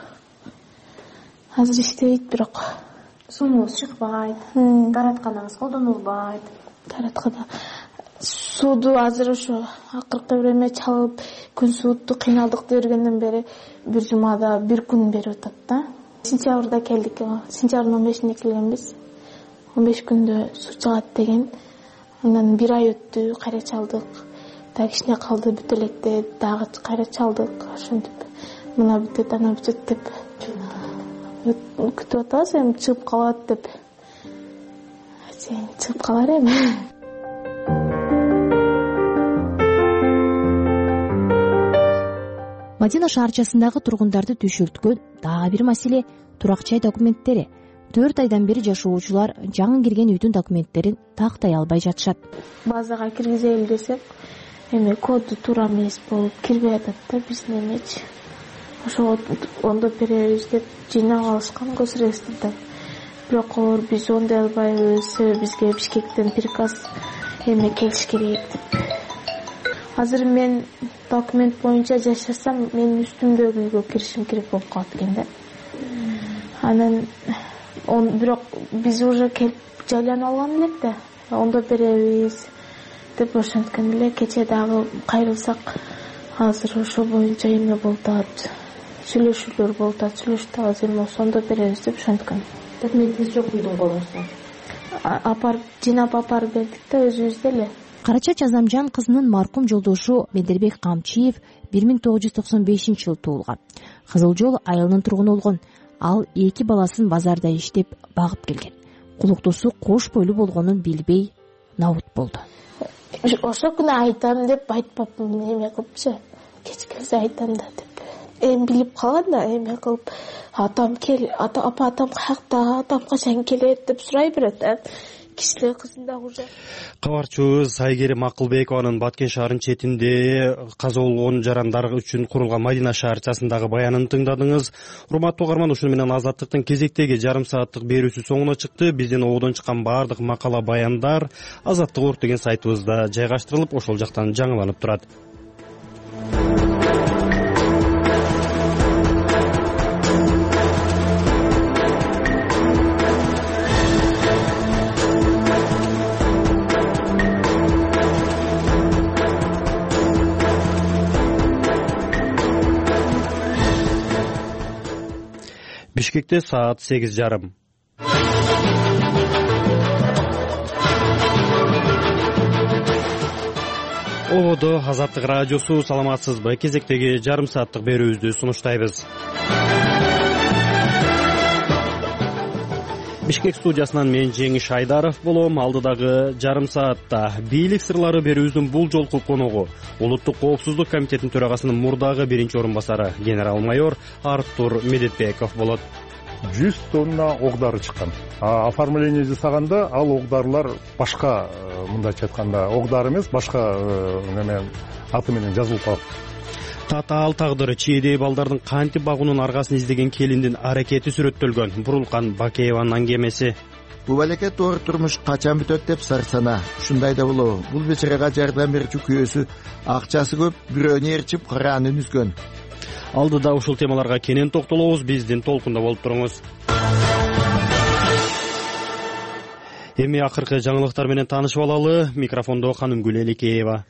Азыр иштебейт бирок. Сууңуз чыкпайт. Даратканаңыз колдонулбайт. Дараткана сууду азыр ошо акыркы бир эме чалып, күн суутту кыйналдык дебергенден бери бир жумада бир күн берип атат да. Сентябрда келдик. Сентябрдын 15-ине келгенбиз. 15 күндө суу чыгат деген. Андан бир ай өттү, кайра чалдык. Дагы кичине калды бүт электе, дагы кайра чалдык. Ошентип мына бүтөт, ана бүтөт деп күтүп атабыз, эми чыгып калат деп. Чыгып калар эми. Мадина шаарчасындагы тургундарды түшүрткөн дагы бир маселе турак жай документтери. 4 айдан бери жашоочулар жаңы кирген үйдүн документтерин тактай албай жатышат. Базага киргизели десек, эме коду туура эмес болуп кирбей атат да биздин эмечи. Ошо ондо беребиз деп жыйнап алышкан госреестрде. Бирок биз ондой албайбыз, себеби бизге Бишкектен приказ эме келиш керек деп. Азыр мен документ боюнча жашасам, менин үстүмдөгү үйгө киришим керек болуп калат экен да. Анан бирок биз уже келип жайланып алган элек да. Ондо беребиз деп ошенткен эле. Кече дагы кайрылсак, азыр ошо боюнча эме болуп атат. Сүйлөшүүлөр болуп атат. Сүйлөшүп атабыз, эми ошондо беребиз деп ошенткен. Документиңиз жок үйдүн колунузда. Апарып, жыйнап апарып бердик да өзүбүздө эле. Карача Жазамжан кызынын маркум жолдошу Медербек Камчиев 1995-жылы туулган. Кызыл Жол айылынын тургуну болгон. Ал 2 баласын базарда иштеп багып келген. Кулуктусу кош бойлуу болгонун билбей набут болду. Ошо күнү айтам деп айтпапмын, эме кылыпчы. Кеч келсе айтам да деп. Эми билип калган да, эме кылып, атам кел, атам каякта, атам качан келет деп сурай берет. кичине кызым дагы уже. Кабарчыбыз Айгерим Акылбекованын Баткен шаарынын четинде каза болгон жарандар үчүн курулган Мадина шаарчасындагы баянын тыңдадыңыз. Урматтуу угарман, ушуну менен Азаттыктын кезектеги жарым сааттык берүүсү соңуна чыкты. Биздин ободон чыккан баардык макала, баяндар Азаттык.орг деген сайтыбызда жайгаштырылып, ошол жактан жаңыланып турат. Бишкекте саат 8:30. Ободо Азаттык радиосу, саламатсызбы? Кезектеги жарым сааттык берүүбүздү сунуштайбыз. Бишкек студиясынан мен Жеңиш Айдаров болом. Алдыдагы жарым саатта бийлик сырлары берүүбүздүн бул жолку коногу Улуттук коопсуздук комитетинин төрагасынын мурдагы биринчи орун басары генерал-майор Артур Медетбеков болот. 100 тонна оғдары чыккан. Оформление жасаганда ал оғдарлар башка, мындайча айтканда, оғдар эмес, башка неме аты менен жазылып калат. Татаал тагдыры чийдей балдардын кантип багуунун аргасын издеген келиндин аракети сүрөттөлгөн Бурулкан Бакееванын аңгемеси. Бул балекет оор турмуш качан бүтөт деп сарсана. Ушундай да болобу? Бул бечерага жардам берүүчү күйөөсү акчасы көп, бирөөнү ээрчип караанын үзгөн. Алдыда ушул темаларга кенен токтолобуз. Биздин толкунда болуп туруңуз. Эми акыркы жаңылыктар менен таанышып алалы. Микрофондо Ханымгүл Эликеева.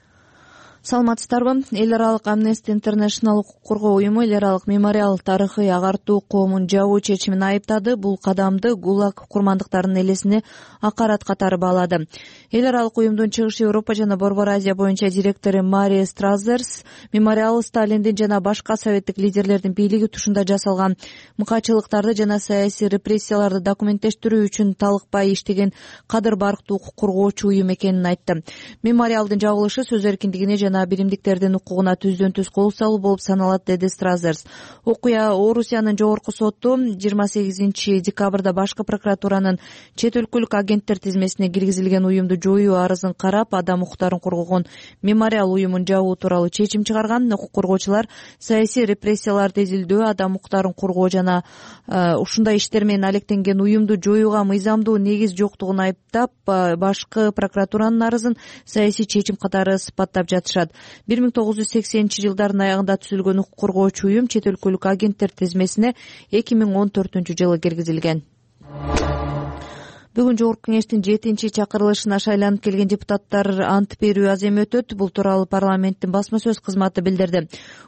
Саламатсыздарбы? Эл аралык Amnesty International укук коргоо уюму эл аралык мемориал тарыхый агартуу коомун жабуу чечимин айыптады. Бул кадамды ГУЛАГ курмандыктарынын элесине акарат катары баалады. Эл аралык уюмдун Чыгыш Европа жана Борбор Азия боюнча директору Мария Стразерс мемориал Сталиндин жана башка советтик лидерлердин бийлиги тушунда жасалган мыкаачылыктарды жана саясий репрессияларды документтештирүү үчүн талыкпай иштеген кадыр барктуу укук коргоочу уюм экенин айтты. Мемориалдын жабылышы сөз эркиндигине жана биримдиктердин укугуна түздөн-түз кол салуу болуп саналат, деди Стразерс. Окуя Орусиянын жогорку соту 28 декабрда башкы прокуратуранын чет өлкөлүк агенттер тизмесине киргизилген уюмду жоюу арызын карап, адам укуктарын коргогон мемориал уюмун жабуу тууралуу чечим чыгарган. Укук коргоочулар саясий репрессияларды изилдөө, адам укуктарын коргоо жана ушундай иштер менен алектенген уюмду жоюуга мыйзамдуу негиз жоктугун айыптап, башкы прокуратуранын арызын саясий чечим катары сыпаттап жатышат. 1980-жылдардын аягында түзүлгөн укук коргоочу уюм чет өлкөлүк агенттер тизмесине 2014-жылы киргизилген. Бүгүн Жогорку Кеңештин 7-чакырылышына шайланып келген депутаттар ант берүү аз эми өтөт. Бул тууралуу парламенттин басма сөз кызматы билдирди.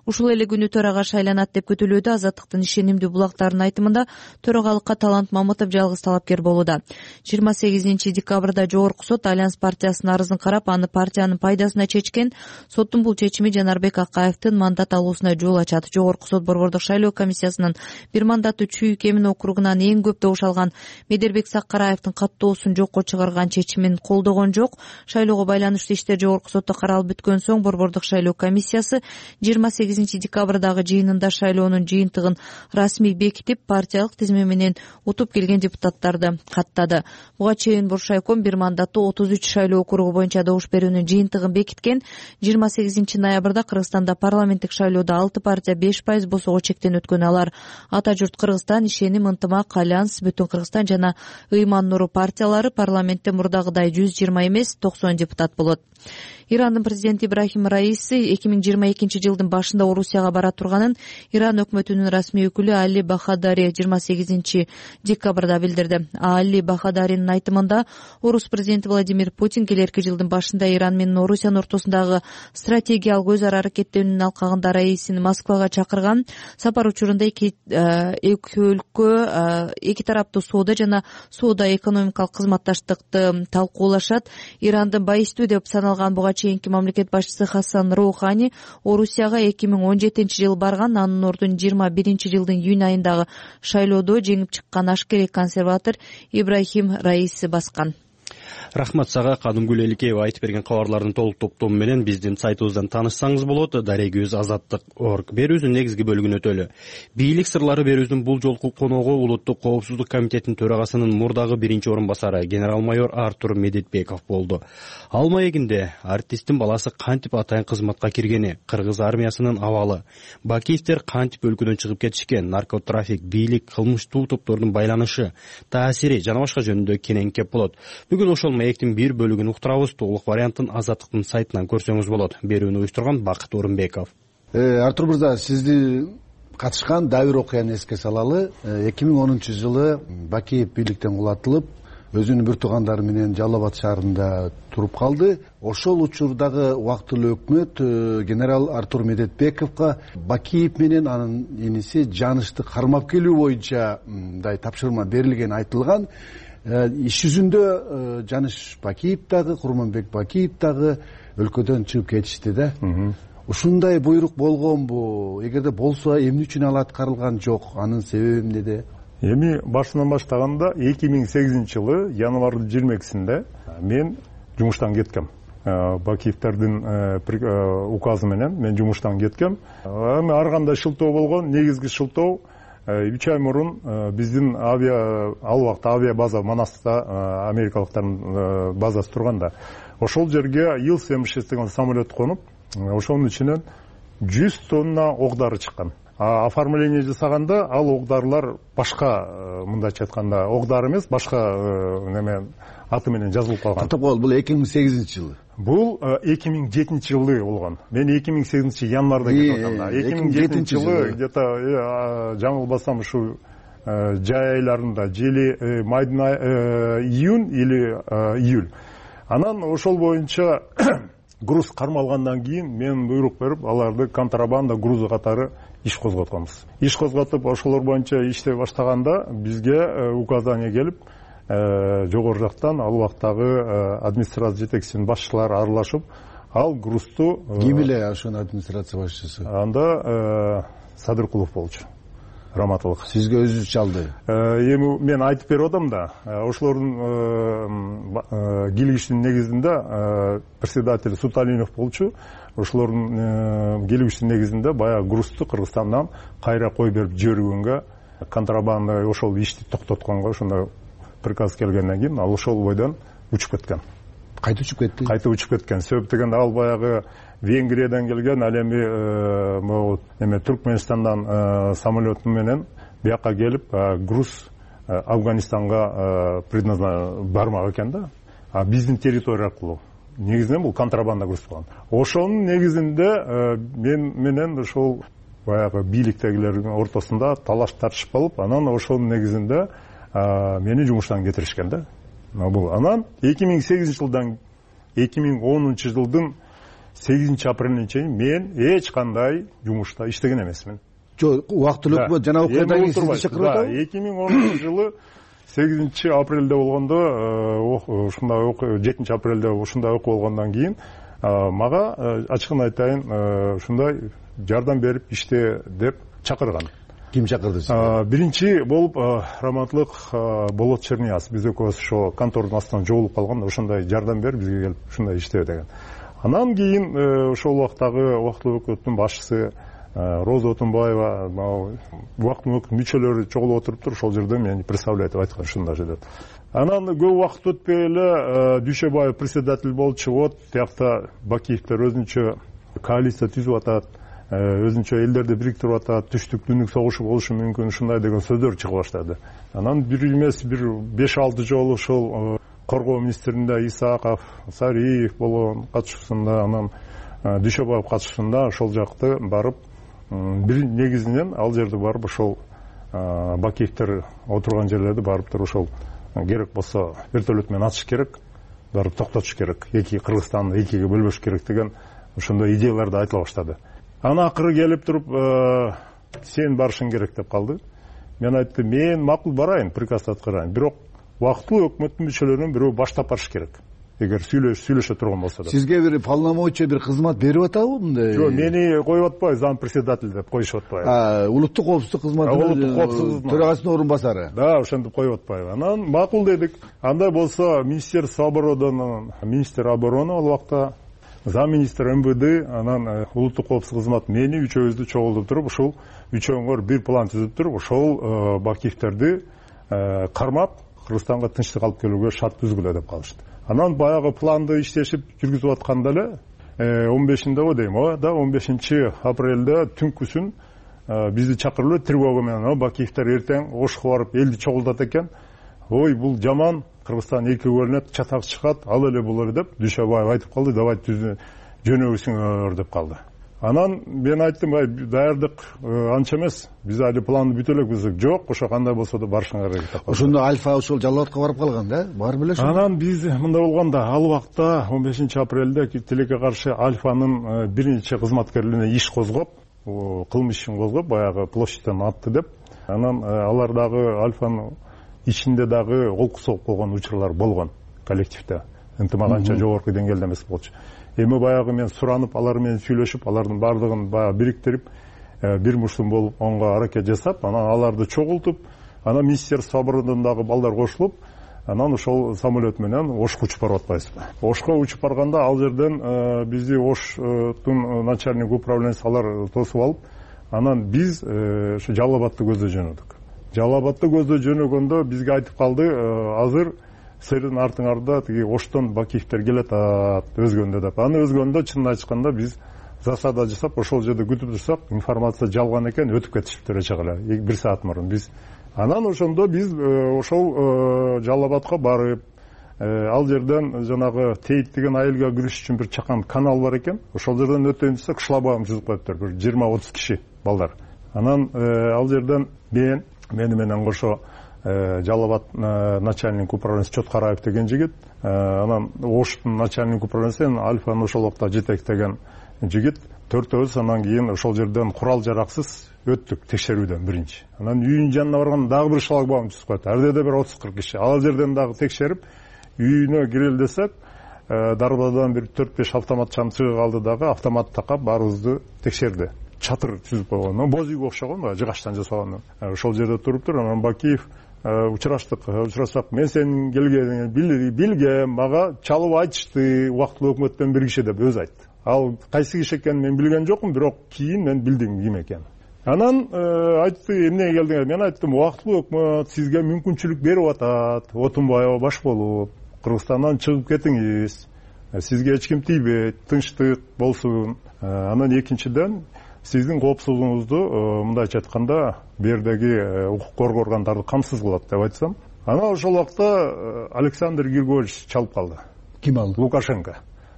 Ушул эле күнү төрага шайланат деп күтүлүүдө. Азаттыктын ишенимдүү булактарынын айтымында төрагалыкка Талант Мамытов жалгыз талапкер болууда. 28 декабрда Жогорку сот Альянс партиясынын арызын карап, аны партиянын пайдасына чечкен. Соттун бул чечими Жанарбек Акаевдин мандат алуусуна жол ачат. Жогорку сот Борбордук шайлоо комиссиясынын бир мандаттуу Чүйүк Эмин округунан эң көп добуш алган Медербек Саккараевдин каттоосун жокко чыгарган чечимин колдогон жок. Шайлоого байланыштуу иштер Жогорку сотто каралып бүткөн соң Борбордук шайлоо комиссиясы 28 декабрдагы жыйынында шайлоонун жыйынтыгын расмий бекитип, партиялык тизме менен утуп келген депутаттарды каттады. Буга чейин Буршайком бир мандаттуу 33 шайлоо округу боюнча добуш берүүнүн жыйынтыгын бекиткен. 28 ноябрда Кыргызстанда парламенттик шайлоодо 6 партия 5% босого чектен өткөн. Алар Ата журт Кыргызстан, Ишеним, Ынтымак, Альянс, Бүтүн Кыргызстан жана Ыйман Нуру партиялары. Парламентте мурдагыдай 120 эмес 90 депутат болот. Ирандын президенти Ибрахим Раиси 2022 жылдын башында Орусияга бара турганын Иран өкмөтүнүн расмий өкүлү Али Бахадари 28 декабрда билдирди. Али Бахадаринин айтымында, Орус президенти Владимир Путин келерки жылдын башында Иран менен Орусиянын ортосундагы стратегиялык өз ара аракеттенүүнүн алкагында Раисини Москвага чакырган. Сапар учурунда эки өлкө эки тараптуу соода жана соода экономикалык кызматташтыкты талкуулашат. Ирандын байыстуу деп саналган буга чейинки мамлекет башчысы Хасан Роухани Орусияга 2017-жылы барган. Анын ордун 21-жылдын июнь айындагы шайлоодо жеңип чыккан ашкерей консерватор Ибрахим Раиси баскан. Рахмат сага. Кадымгүл Эликеева айтып берген кабарлардын толук топтому менен биздин сайтыбыздан таанышсаңыз болот. Дарегибиз Азаттык.org. Берүүбүздүн негизги бөлүгүн өтөлү. Бийлик сырлары берүүбүздүн бул жолку коногу Улуттук коопсуздук комитетинин төрагасынын мурдагы биринчи орун басары генерал-майор Артур Медетбеков болду. Ал маегинде артисттин баласы кантип атайын кызматка киргени, кыргыз армиясынын абалы, Бакиевдер кантип өлкөдөн чыгып кетишкен, наркотрафик, бийлик, кылмыштуу топтордун байланышы, таасири жана башка жөнүндө кенен кеп болот. Бүгүн ошол маектин бир бөлүгүн уктурабыз. Толук вариантын Азаттыктын сайтынан көрсөңүз болот. Берүүнү уюштурган Бакыт Орунбеков. Артур мырза, сизди катышкан дагы бир окуяны эске салалы. 2010-жылы Бакиев бийликтен кулатылып, өзүнүн бир туугандары менен Жалал Абад шаарында туруп калды. Ошол учурдагы убактылуу өкмөт генерал Артур Медетбековго Бакиев менен анын иниси Жанышты кармап келүү боюнча мындай тапшырма берилгени айтылган. Иш жүзүндө Жаныш Бакиев дагы, Курманбек Бакиев дагы өлкөдөн чыгып кетишти да. Ушундай буйрук болгонбу? Эгерде болсо, эмне үчүн ал аткарылган жок? Анын себеби эмнеде? Эми башынан баштаганда 2008-жылы январдын 22-синде мен жумуштан кеткем. Бакиевтердин указы менен мен жумуштан кеткем. Эми ар кандай шылтоо болгон, негизги шылтоо 3 ай мурун биздин ал убакта авиа база Манаста америкалыктардын базасы турганда, ошол жерге Ил-76 деген самолет конуп, ошонун ичинен 100 тонна ок дары чыккан. Оформление жасаганда ал ок дарылар башка, мындайча айтканда, ок дары эмес, башка неме аты менен жазылып калган. Токтоп кол, бул 2008-жылы. Бул 2007-жылы болгон. Мен 2008 январда кетип атам. 2007-жылы где-то жаңылбасам ушу жай айларында, жели майдын июнь или июль. Анан ошол боюнча груз кармалгандан кийин мен буйрук берип, аларды контрабанда грузу катары иш козготконбуз. Иш козготуп, ошолор боюнча иштей баштаганда бизге указание келип, жогору жактан ал убактагы администрация жетекчисинин башчылары аралашып, ал грузту ким эле ошонун администрация башчысы? Анда Садыркулов болчу. Раматылык. Сизге өзү чалды. Эми мен айтып берип атам да, ошолордун келишинин негизинде председатель Суталинов болчу. Ошолордун келишинин негизинде баягы грузту Кыргызстандан кайра кой берип жибергөнгө, контрабанда ошол ишти токтотконго ошондой приказ келгенден кийин ал ошол бойдон учуп кеткен. Кайда учуп кетти? Кайта учуп кеткен. Себеп дегенде ал баягы Венгриядан келген, ал эми могу Түркмөнстандан самолет менен бияка келип, груз Афганистанга бармак экен да. А биздин территория аркылуу. Негизинен бул контрабанда груз болгон. Ошонун негизинде мен менен ошол баягы бийликтегилердин ортосунда талаш тартышып калып, анан ошонун негизинде мени жумуштан кетиришкен да. Бул анан 2008-жылдан 2010-жылдын 8-апрелине чейин мен эч кандай жумушта иштеген эмесмин. Жок, убактылуу өкмөт жана окуядан кийин сизди чакырып атабы? 2010-жылы 8-апрелде болгондо, ушундай 7-апрелде ушундай окуу болгондон кийин мага ачыгын айтайын, ушундай жардам берип иште деп чакырган. Ким чакырды сизди? Биринчи болуп Раматлык Болот Чернияз, биз экөөбүз ошо контордун астынан жоголуп калганда ошондой жардам берип бизге келип ушундай иштебе деген. Анан кийин ошол убактагы убактылуу өкмөттүн башчысы Роза Отунбаева, убактылуу өкмөт мүчөлөрү чогулуп отуруптур, ошол жерде мени представлять этип айткан ушундай деп. Анан көп убакыт өтпөй эле Дүйшөбаев председатель болчу, вот тиякта Бакиевдер өзүнчө коалиция түзүп атат, өзүнчө элдерди бириктирип атат, түштүк түндүк согушу болушу мүмкүн, ушундай деген сөздөр чыга баштады. Анан бир эмес, бир 5-6 жолу ошол коргоо министринде Исаков, Сариев болгон катышуусунда, анан Дүйшөбаев катышуусунда ошол жакты барып, бир негизинен ал жерде барып ошол Бакиевдер отурган жерлерди барып туруп ошол керек болсо вертолет менен атыш керек, барып токтотуш керек, эки Кыргызстанды экиге бөлбөш керек деген ошондой идеяларды айтыла баштады. Ана акыры келип туруп, сен барышың керек деп калды. Мен айттым, мен макул барайын, приказ аткарайын. Бирок убактылуу өкмөттүн мүчөлөрүнүн бирөө баштап барыш керек. эгер сүйлөшө турган болсо да. Сизге бир полномочия, бир кызмат берип атабы мындай? Жок, мени коюп атпайбы, зам председатель деп коюшуп атпайбы. Улуттук коопсуздук кызматынын төрагасынын орун басары. Да, ошентип коюп атпайбы. Анан макул дедик. Андай болсо Министерство обороны, министр обороны ал убакта, замминистр МВД, анан улуттук коопсуздук кызмат мени үчөөбүздү чогултуп туруп, ушул үчөөңөр бир план түзүп туруп, ошол Бакиевтерди кармап Кыргызстанга тынчтык алып келүүгө шарт түзгүлө деп калышты. Анан баягы планды иштешип жүргүзүп атканда эле 15-нде дейм, да 15-апрелде түнкүсүн бизди чакырып эле тревога менен, Бакиевтер эртең Ошко барып элди чогултат экен. Ой, бул жаман, Кыргызстан эки бөлүнөт, чатак чыгат, ал эле бул эле деп Дүйшөбаев айтып калды, давайте жөнөбүзүңөр деп калды. Анан мен айттым, даярдык анча эмес, биз али планды бүтө элекпиз. Жок, ошо кандай болсо да барышыңар керек деп. Ошондо Альфа ошол Жалал абадка барып калган да? Барып эле ошо. Анан биз мындай болгондо, ал убакта 15-апрелде тилекке каршы Альфанын бир нече кызматкерлерине иш козгоп, кылмыш ишин козгоп, баягы площадьтан атты деп. Анан алар дагы Альфанын ичинде дагы колку соғып койгон учурлар болгон коллективде. Ынтымак анча жогорку деңгээлде эмес болчу. Эми баягы мен суранып, алар менен сүйлөшүп, алардын бардыгын баягы бириктирип, бир мушдум болуп, онго аракет жасап, анан аларды чогултуп, анан Министерство обороны дагы балдар кошулуп, анан ошол самолет менен Ошко учуп барып атпайбызбы. Ошко учуп барганда ал жерден бизди Оштун начальник управлениясы алар тосуп алып, анан биз ошо Жалал абадты көздөй жөнөдүк. Жалал абадты көздөй жөнөгөндө бизге айтып калды, азыр силердин артыңарда тиги Оштон Бакиевтер келет өзгөндө деп. Аны өзгөндө чынын айтканда биз засада жасап, ошол жерде күтүп турсак, информация жалган экен, өтүп кетишиптир эче эле. 1 саат мурун биз. Анан ошондо биз ошол Жалал абадка барып, ал жерден жанагы Тейт деген айылга кириш үчүн бир чакан канал бар экен. Ошол жерден өтөйүн десек, кышлабагын түзүп коюптур, бир 20-30 киши балдар. Анан ал жерден мени менен кошо Жалал абад начальник управлениясы Чоткараев деген жигит, анан Оштун начальник управлениясы Альфаны ошол убакта жетектеген жигит, төртөөбүз анан кийин ошол жерден курал жараксыз өттүк текшерүүдөн биринчи. Анан үйүнүн жанына барганда дагы бир шлагбаум түзүп коет. Ар жерде бир 30-40 киши. Ал жерден дагы текшерип, үйүнө кирели десек, дарбадан бир 4-5 автоматчан чыгып калды дагы, автомат такап баарыбызды текшерди. Чатыр түзүп койгон, боз үйгө окшогон, жыгачтан жасалган. Ошол жерде туруптур. Анан Бакиев учурашсак, мен сенин келгениңди билгем, мага чалып айтышты, убактылуу өкмөттөн бир киши деп өзү айтты. Ал кайсы киши экенин мен билген жокмун, бирок кийин мен билдим ким экенин. Анан айтты, эмнеге келдиңер? Мен айттым, убактылуу өкмөт сизге мүмкүнчүлүк берип атат, Отунбаева баш болуп, Кыргызстандан чыгып кетиңиз, сизге эч ким тийбейт, тынчтык болсун. Анан экинчиден, сиздин коопсуздугуңузду мындайча айтканда бердеги укук коргоо органдары камсыз кылат деп айтсам, анан ошол убакта Александр Григорьевич чалып калды. Ким ал? Лукашенко.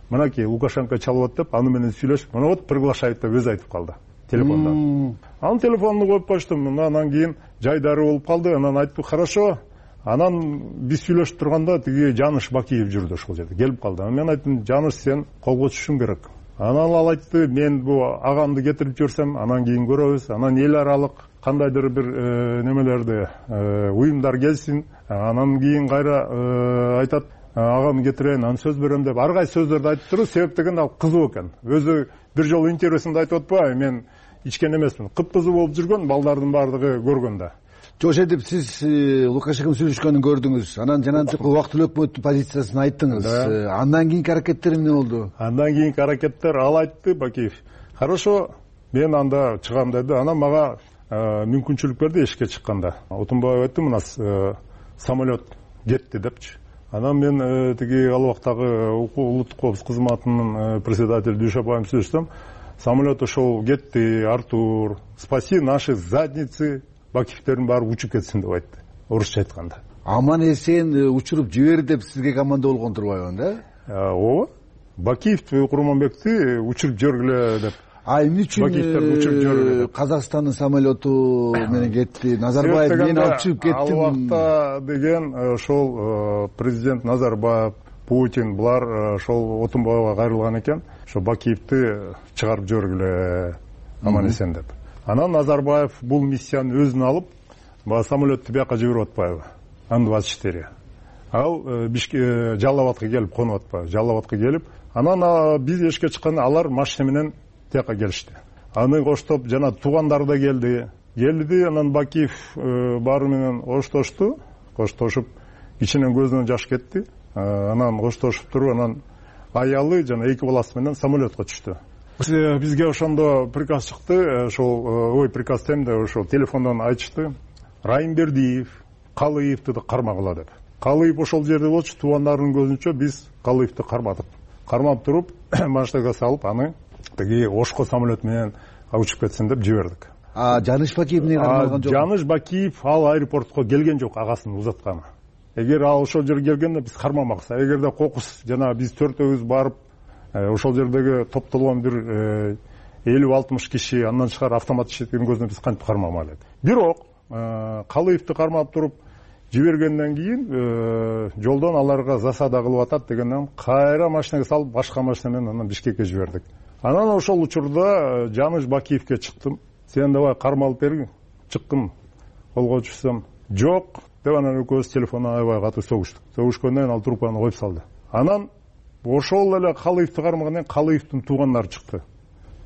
Мынакей Лукашенко чалып атып, аны менен сүйлөшүп, мына вот приглашает деп өзү айтып калды телефондон. Анын телефонун коюп коюштум. Анан кийин жайдары болуп калды. Анан айтты, хорошо. Анан биз сүйлөшүп турганда тиги Жаныш Бакиев жүрдү ошол жерде, келип калды. Мен айттым, Жаныш, сен колго түшүшүң керек. Анан ал айтты, мен бу агамды кетирип жүрсөм, анан кийин көрөбүз. Анан эл аралык кандайдыр бир немелерди уюмдар келсин. Анан кийин кайра айтат, агамды кетирейин, анан сөз берем деп ар кайсы сөздөрдү айтып туруп, себеп деген ал кызуу экен. Өзү бир жолу интервьюсунда айтып атпайбы, мен ичкен эмесмин. Кыпкызуу болуп жүргөн, балдардын баардыгы көргөндө. Жошедип, сиз Лукашенко сүйлөшкөнүн көрдүңүз. Анан жанагы убактылуу өкмөттүн позициясын айттыңыз. Андан кийинки аракеттер эмне болду? Андан кийинки аракеттер, ал айтты, Бакиев, хорошо, мен анда чыгам деди. Анан мага мүмкүнчүлүк берди эшикке чыкканда. Отунбаев айтты, мына самолет кетти депчи. Анан мен тиги ал убактагы улуттук коопсуздук кызматынын председатели Дүйшөбаев сүйлөшсөм, самолет ошол кетти, Артур, спаси наши задницы, Бакиевтердин баары учуп кетсин деп айтты, орусча айтканда. Аман эсен учуруп жибер деп сизге команда болгон турбайбы да? Ооба. Бакиев Курманбекти учуруп жибергиле деп. Эмне үчүн Казакстандын самолету менен кетти? Назарбаев мен алып чыгып кеттим. Ал убакта деген ошол президент Назарбаев, Путин булар ошол Отунбаевга кайрылган экен. Ошо Бакиевти чыгарып жибергиле аман эсен деп. Анан Назарбаев бул миссияны өзүнө алып, самолетту бияка жиберип атпайбы? Ан-24. ал Жалал Абадка келип конуп атпайбы, Жалал Абадка келип, анан биз эшикке чыкканда алар машина менен тияка келишти. Аны коштоп жана туугандары да келди, анан Бакиев баары менен коштошуп, ичинен көзүнөн жаш кетти. Анан коштошуп туруп, анан аялы жана 2 баласы менен самолетко түштү. Бизге ошондо приказ чыкты, ошол приказ демде ошол телефондон айтышты, Райымбердиев Калыевди кармагыла деп. Калыев ошол жерде болчу, туугандарынын көзүнчө биз Калыевди кармап туруп, машинага салып, аны тиги Ошко самолет менен учуп кетсин деп жибердик. Жаныш Бакиев эмне кармалган жок? Жаныш Бакиев ал аэропортко келген жок, агасын узатканы. Эгер ал ошол жерге келгенде биз кармамакпыз. Эгерде кокус жана биз 4-өзү барып, ошол жердеги топтолгон бир 50-60 киши андан тышкары автомат иштеткен көзүнө биз кантип кармамак элек. Бирок Калыевди кармап туруп жибергенден кийин жолдон аларга засада кылып атат дегенден кайра машинага салып, башка машина менен анан Бишкекке жибердик. Анан ошол учурда Жаныш Бакиевке чыктым. Сен давай кармалып берги. Чыккым. Колго түшсөм, жок деп анан экөөбүз телефондон аябай катуу согуштук. Согушкондон ал трубканы коюп салды. Анан ошол эле Калыевди кармагандан Калыевдин туугандары чыкты.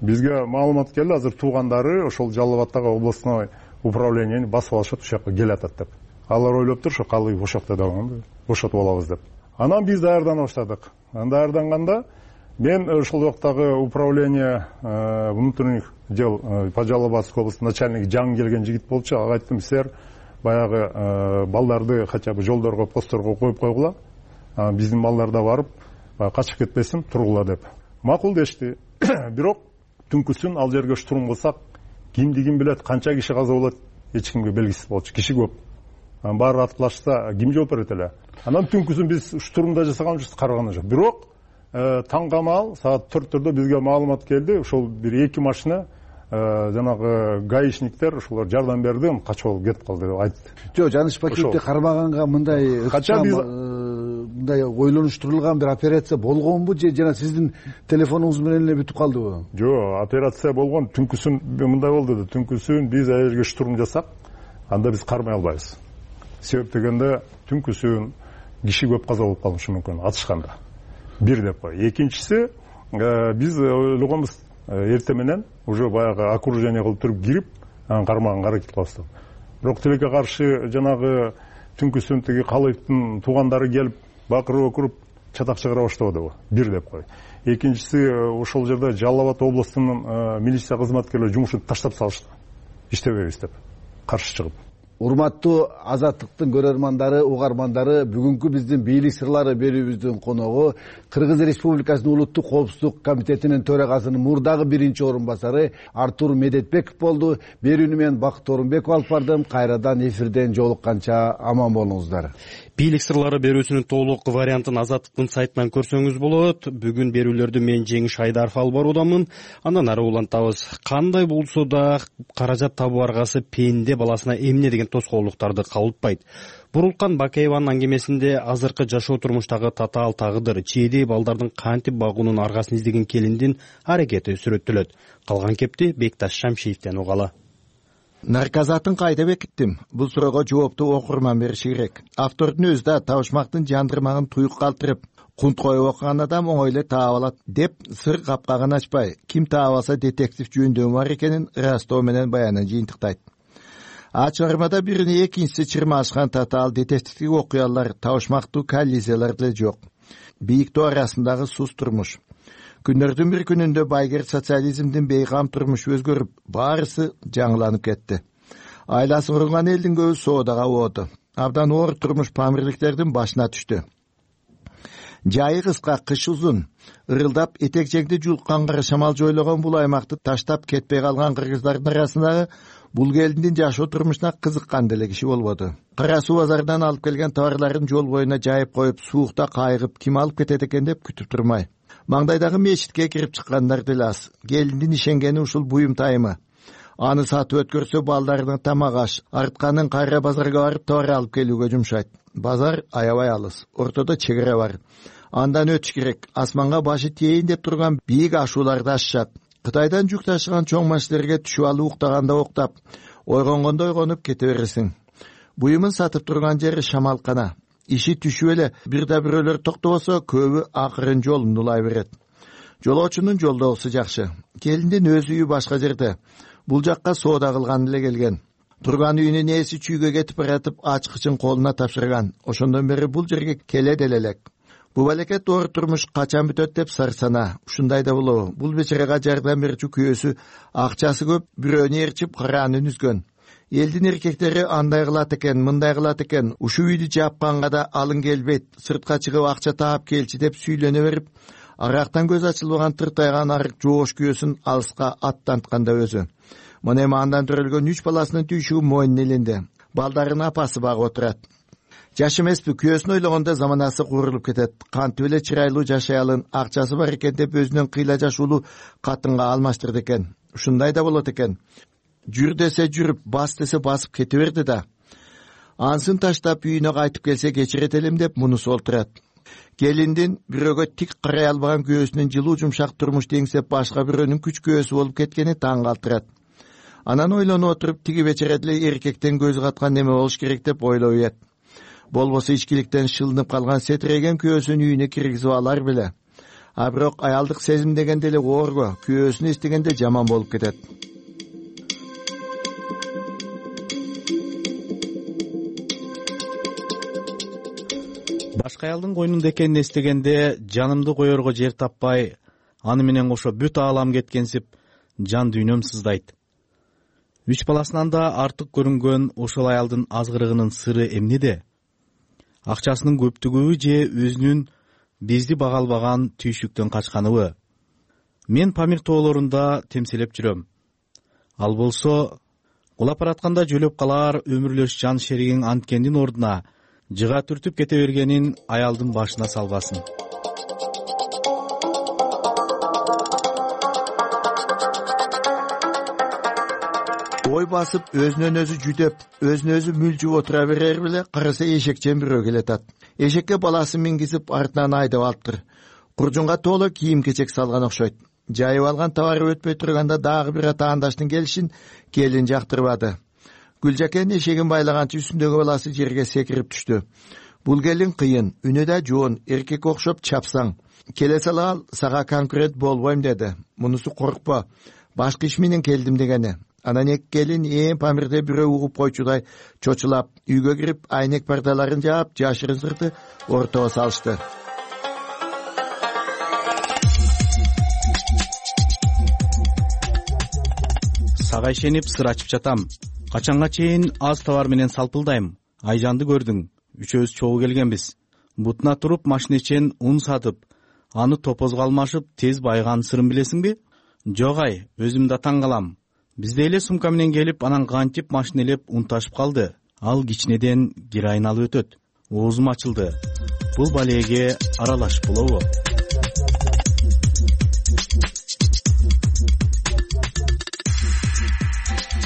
Бизге маалымат келди, азыр туугандары ошол Жалал Абадтагы областной управлениени басып алышат, ошол жака келатат деп. Алар ойлоп тур, ошо Калыев ошокто дагы бошотуп алабыз деп. Анан биз даярдана баштадык. Даярданганда мен ошол жактагы управление внутренних дел по Жалал Абадской области начальниги жаңы келген жигит болчу. Ага айттым, силер баягы балдарды хотя бы жолдорго, постторго коюп койгула. Биздин балдар да барып качып кетпесин, тургула деп. Макул дешти. Бирок түнкүсүн ал жерге штурм кылсак, кимди ким билет, канча киши каза болот, эч кимге белгисиз болчу. Киши көп. Баары аткылашса, ким жооп берет эле. Анан түнкүсүн биз штурмда жасаганбыз, караганы жок. Бирок таңгамал саат 4-төрдө бизге маалымат келди. Ошол бир 2 машина жанагы гаишниктер ошолор жардам берди, качып алып кетип калды деп айтты. Жок, Жаныш Бакиевди кармаганга мындай ойлонуштурулган бир операция болгонбу же жана сиздин телефонуңуз менен эле бүтүп калдыбы? Жок, операция болгон. Түнкүсүн мындай болду да, түнкүсүн биз аерге штурм жасап, анда биз кармай албайбыз. Себеп дегенде түнкүсүн киши көп каза болуп калышы мүмкүн атышканда. Бир деп кой. Экинчиси, биз ойлогонбуз эрте менен уже баягы окружение кылып туруп кирип, кармаганга аракет кылабыз. Бирок тилекке каршы жанагы түнкүсүн тиги Калыевдин туугандары келип, бакырып чатак чыгара баштабады. Бир деп кой. Экинчиси, ошол жерде Жалал Абад областынын милиция кызматкерлери жумушун таштап салышты. Иштебейбиз деп каршы чыгып. Урматтуу Азаттыктын көрөрмандары, угармандары, бүгүнкү биздин бийлик сырлары берүүбүздүн коногу Кыргыз Республикасынын Улуттук коопсуздук комитетинин төрагасынын мурдагы 1-орун басары Артур Медетбеков болду. Берүүнү мен Бакыт Орунбеков алып бардым. Кайрадан эфирден жолукканча аман болуңуздар. Бийлик сырлары берүүсүнүн толук вариантын Азаттыктын сайтынан көрсөңүз болот. Бүгүн берүүлөрдү мен Жеңиш Айдаров алып баруудамын. Андан ары улантабыз. Кандай болсо да каражат табуу аргасы пенде баласына эмне деген тоскоолдуктарды кабылтпайт. Бурулкан Бакаеванын аңгемесинде азыркы жашоо турмуштагы татаал тагдыр, чээдей балдардын кантип багуунун аргасын издеген келиндин аракети сүрөттөлөт. Калган кепти Бекташ Шамшиевден угалы. Наркозатын кайда бекиттим? Бул суроого жоопту окурман бериши керек. Автордун өзү да табышмактын жандырмагын туюк калтырып, кунт коюп окуган адам оңой эле таап алат деп сыр капкагын ачпай, ким таап алса детектив жөндөмү бар экенин ырастоо менен баянын жыйынтыктайт. Чыгармада бирине экинчиси чырмашкан татаал детективдик окуялар, табышмактуу коллизиялар деле жок. Бийиктөө арасындагы сус турмуш. Күндөрдүн бир күнүндө байгер социализмдин бейгам турмушу өзгөрүп, баарысы жаңыланып кетти. Айласы курган элдин көбү соодага ооду. Абдан оор турмуш памирликтердин башына түштү. Жайы кыска, кышы узун, ырылдап этек жеңди жулккан кара шамал жойлогон бул аймакты таштап кетпей калган кыргыздардын арасындагы бул келиндин жашоо турмушуна кызыккан деле киши болбоду. Кара суу базарынан алып келген товарларын жол боюна жайып коюп, суукта кайгып, ким алып кетет экен деп күтүп турмай. Маңдайдагы мечитке кирип чыккандар деле аз. Келиндин ишенгени ушул буюм тайымы. Аны сатып өткөрсө балдарынын тамак аш, артканын кайра базарга барып товар алып келүүгө жумшайт. Базар аябай алыс, ортодо чек ара бар. Андан өтүш керек. Асманга башы тейин деп турган бийик ашууларды ашышат. Кытайдан жүк ташыган чоң машиналерге түшүп алып уктаганда уктап, ойгонгондо ойгонуп кете бересиң. Буюмун сатып турган жери шамалкана. иши түшүп эле бир да бирөөлөр токтобосо көбү акырын жолун улай берет. Жолоочунун жолдогусу жакшы. Келиндин өз үйү башка жерде. Бул жакка соода кылган эле келген. Турган үйүнүн ээси чүйгө кетип баратып ачкычын колуна тапшырган. Ошондон бери бул жерге келе делелек. Бу балекет оор турмуш качан бүтөт деп сарсана. Ушундай да болобу? Бул бечарага жардам берчү күйөөсү акчасы көп, бирөөнү ээрчип караанын үзгөн. Элдин эркектери андай кылат экен, мындай кылат экен. Ушул үйдү жапканга да алың келбейт. Сыртка чыгып акча таап келчи деп сүйлөнө берип, арактан көз ачылбаган тыртайган арык жоош күйөөсүн алыска аттантканда өзү. Мына эми андан төрөлгөн 3 баласынын түйшүгү мойнунун элинде. Балдарын апасы багып отурат. Жаш эмеспи, күйөөсүн ойлогондо заманасы куурулуп кетет. Кантип эле чырайлуу жашай алын, акчасы бар экен деп өзүнүн кыйла жашуулуу катынга алмаштырды экен. Ушундай да болот экен. Жүр десе жүрүп, бас десе басып кете берди да. Ансын таштап үйүнө кайтып келсе кечирет элем деп мунусу олтурат. Келиндин бирөөгө тик карай албаган күйөөсүнүн жылуу жумшак турмуш деңсеп башка бирөөнүн күч күйөөсү болуп кеткени таң калтырат. Анан ойлонуп отуруп тиги бечара деле эркектен көз каткан неме болуш керек деп ойлоп ийет. Болбосо ичкиликтен шылынып калган сетиреген күйөөсүн үйүнө киргизип алар беле. А бирок аялдык сезим деген деле оорго, күйөөсүн эстегенде жаман болуп кетет. Башка аялдын койнунда экенин эстегенде жанымды коерго жер таппай, аны менен кошо бүт аалам кеткенсип, жан дүйнөм сыздайт. 3 баласынан да артык көрүнгөн ошол аялдын азгырыгынын сыры эмнеде? Акчасынын көптүгүбү же өзүнүн бизди бага албаган түйшүктөн качканыбы? Мен Памир тоолорунда темселеп жүрөм. Ал болсо кулап баратканда жөлөп калар өмүрлөш жан шеригиң анткендин ордуна жыга түртүп кете бергенин аялдын башына салбасын. Ой басып, өзүнөн өзү жүдөп, өзүнө өзү мүлжүп отура берер беле, караса эшекчен бирөө келатат. Эшекке баласын мингизип артынан айдап алыптыр. Куржунга толо кийим-кечек салган окшойт. Жайып алган товары өтпөй турганда дагы бир атаандаштын келишин келин жактырбады. Гүлжакен эшегин байлаганчы үстүндөгү баласы жерге секирип түштү. Бул келин кыйын, үнү да жоон, эркек окшоп чапсаң. Келе сала сага конкурент болбойм деди. Мунусу коркпо, башка иш менен келдим дегени. Анан эки келин Памирде бирөө угуп койчудай чочулап, үйгө кирип, айнек пардаларын жаап, жашырын сырты ортого салышты. Сага ишенип сыр ачып жатам. Качанга чейин аз товар менен салпылдайм. Айжанды көрдүң. Үчөөбүз чогуу келгенбиз. Бутуна туруп машинечен ун сатып, аны топозго алмашып тез байыган сырын билесиңби? Жок ай, өзүм да таң калам. Бизде эле сумка менен келип, анан кантип машинелеп ун ташып калды. Ал кичинеден героин алып өтөт. Оозум ачылды. Бул балеге аралашып болобу?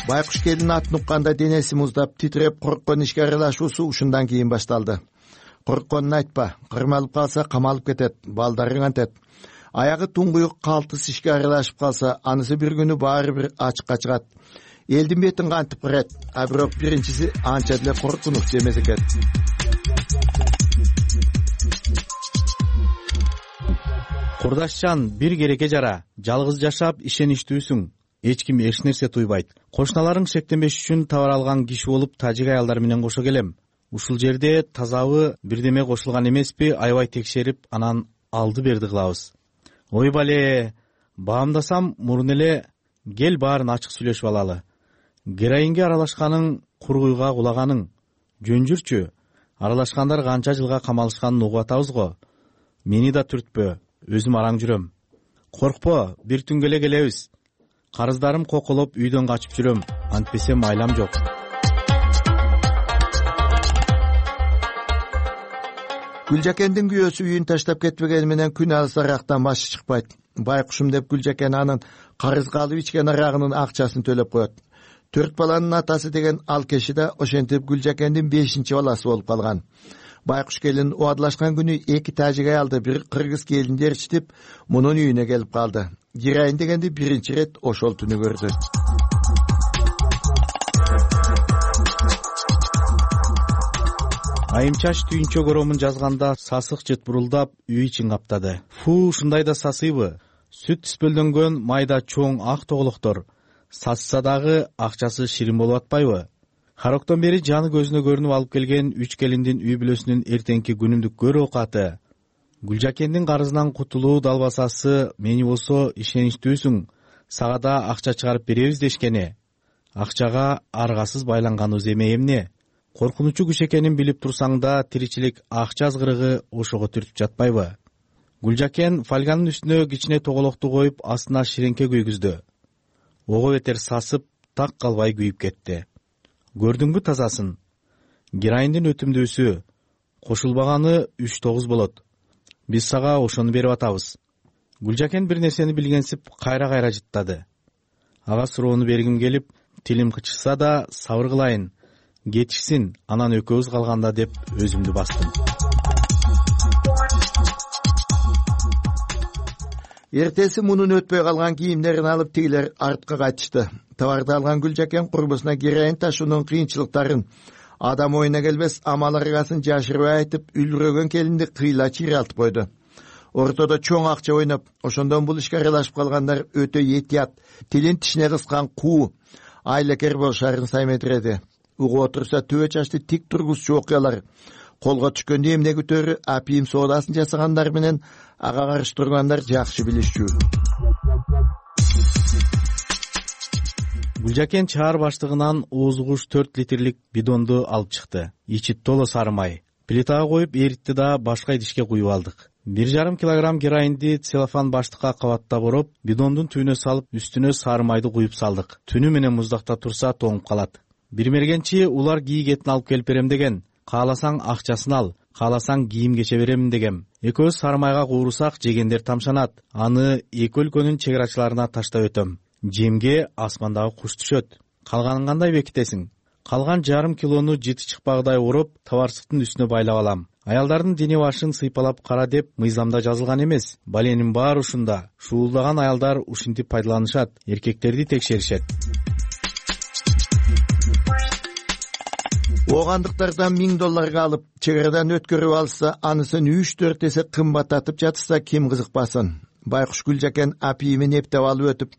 Байкуш келин атын укканда денеси муздап, титиреп корккон ишке аралашуусу ушундан кийин башталды. Коркконун айтпа, кырмалып калса камалып кетет, балдарың антет. Аягы туңгуюк калтыс ишке аралашып калса, анысы бир күнү баары бир ачыкка чыгат. Элдин бетин кантип кырат, а бирок биринчиси анча деле коркунуч эмес экен. Курдашчан, бир керекке жара, жалгыз жашап ишеничтүүсүң. Эч ким эч нерсе туйбайт. Кошуналарың шектенбеш үчүн товар алган киши болуп тажик аялдар менен кошо келем. Ушул жерде тазабы бирдеме кошулган эмеспи, аябай текшерип, анан алды берди кылабыз. Ой бале, баамдасам мурун эле кел баарын ачык сүйлөшүп алалы. Героинге аралашканың, кургуйга кулаганың. Жөн жүрчү. Аралашкандар канча жылга камалышканын угуп атабыз го. Мени да түртпө, өзүм араң жүрөм. Коркпо, бир түнгө эле келебиз. Карыздарым коколоп үйдөн качып жүрөм, антпесем айлам жок. Гүлжакендин күйөөсү үйүн таштап кетпегени менен күн алысырактан башы чыкпайт. Байкушум деп Гүлжакен анын карызга алып ичкен арагынын акчасын төлөп коет. 4 баланын атасы деген ал киши да ошентип Гүлжакендин 5-чи баласы болуп калган. Байкуш келин убадылашкан күнү 2 тажик аялды, бир кыргыз келинди ээрчитип, мунун үйүнө келип калды. Героин дегенди биринчи рет ошол түнү көрдү. Айымчаш түйүнчө коромун жазганда сасык жыт бурулдап үй ичин каптады. Ушундай да сасыйбы? Сүт түспөлдөнгөн майда чоң ак тоголоктор сасса дагы акчасы ширин болуп атпайбы? Хароктон бери жаны көзүнө көрүнүп алып келген 3 келиндин үй бүлөсүнүн эртеңки күнүмдүк көр оокаты. Гүлжакендин карызынан кутулуу далбасасы мени болсо ишеничтүүсүң, сага да акча чыгарып беребиз дешкени. Акчага аргасыз байланганыбыз эме эмне? Коркунучу күч экенин билип турсаң да тиричилик акча азгырыгы ошого түртүп жатпайбы? Гүлжакен фольганын үстүнө кичине тоголокту коюп астына ширеңке күйгүздү. Ого бетер сасып, так калбай күйүп кетти. Көрдүңбү тазасын? Героиндин өтүмдүүсү. Кошулбаганы 3-9 болот. Биз сага ошону берип атабыз. Гүлжакен бир нерсени билгенсип кайра жыттады. Ага суроону бергим келип, тилим кычышса да сабыр кылайын. Кетишсин, анан экөөбүз калганда деп өзүмдү бастым. Эртеси мунун өтпөй калган кийимдерин алып тигилер артка кайтышты. Товарды алган Гүлжакен курбусуна героин ташуунун кыйынчылыктарын, адам оюна келбес амал аргасын жашырбай айтып, үлбүрөгөн келинди кыйла чыйралтып койду. Ортодо чоң акча ойноп, ошондон бул ишке аралашып калгандар өтө этият, тилин тишине кыскан куу, айлакер болушарын сайметиреди. Угуп отурса төбө чачты тик тургузчу окуялар, колго түшкөндө эмне күтөрү апийим соодасын жасагандар менен ага каршы тургандар жакшы билишчү. Гүлжакен чаар баштыгынан оозугуш 4 литрлик бидонду алып чыкты. Ичи толо сары май. Плитага коюп эритти да башка идишке куюп алдык. 1,5 килограмм героинди целлофан баштыкка кабаттап ороп, бидондун түбүнө салып, үстүнө сары майды куюп салдык. Түнү менен муздакта турса тоңуп калат. Бир мергенчи улар кийгетин алып келип берем деген. Кааласаң акчасын ал, кааласаң кийим кече беремин дегем. Экөөбүз сары майга куурусак жегендер тамшанат. Аны эки өлкөнүн чек арачыларына таштап өтөм. Жемге асмандагы куш түшөт. Калганын кандай бекитесиң? Калган 1,5 килону жыты чыкпагыдай ороп, товарсыктын үстүнө байлап алам. Аялдардын дене башын сыйпалап кара деп мыйзамда жазылган эмес. Баленин баары ушунда. Шуулдаган аялдар ушинтип пайдаланышат, эркектерди текшеришет. Оогандыктардан $1000 алып, чек арадан өткөрүп алса, анысын 3-4 эсе кымбаттатып жатса ким кызыкпасын. Байкуш Гүлжакен апийимин эптеп алып өтүп,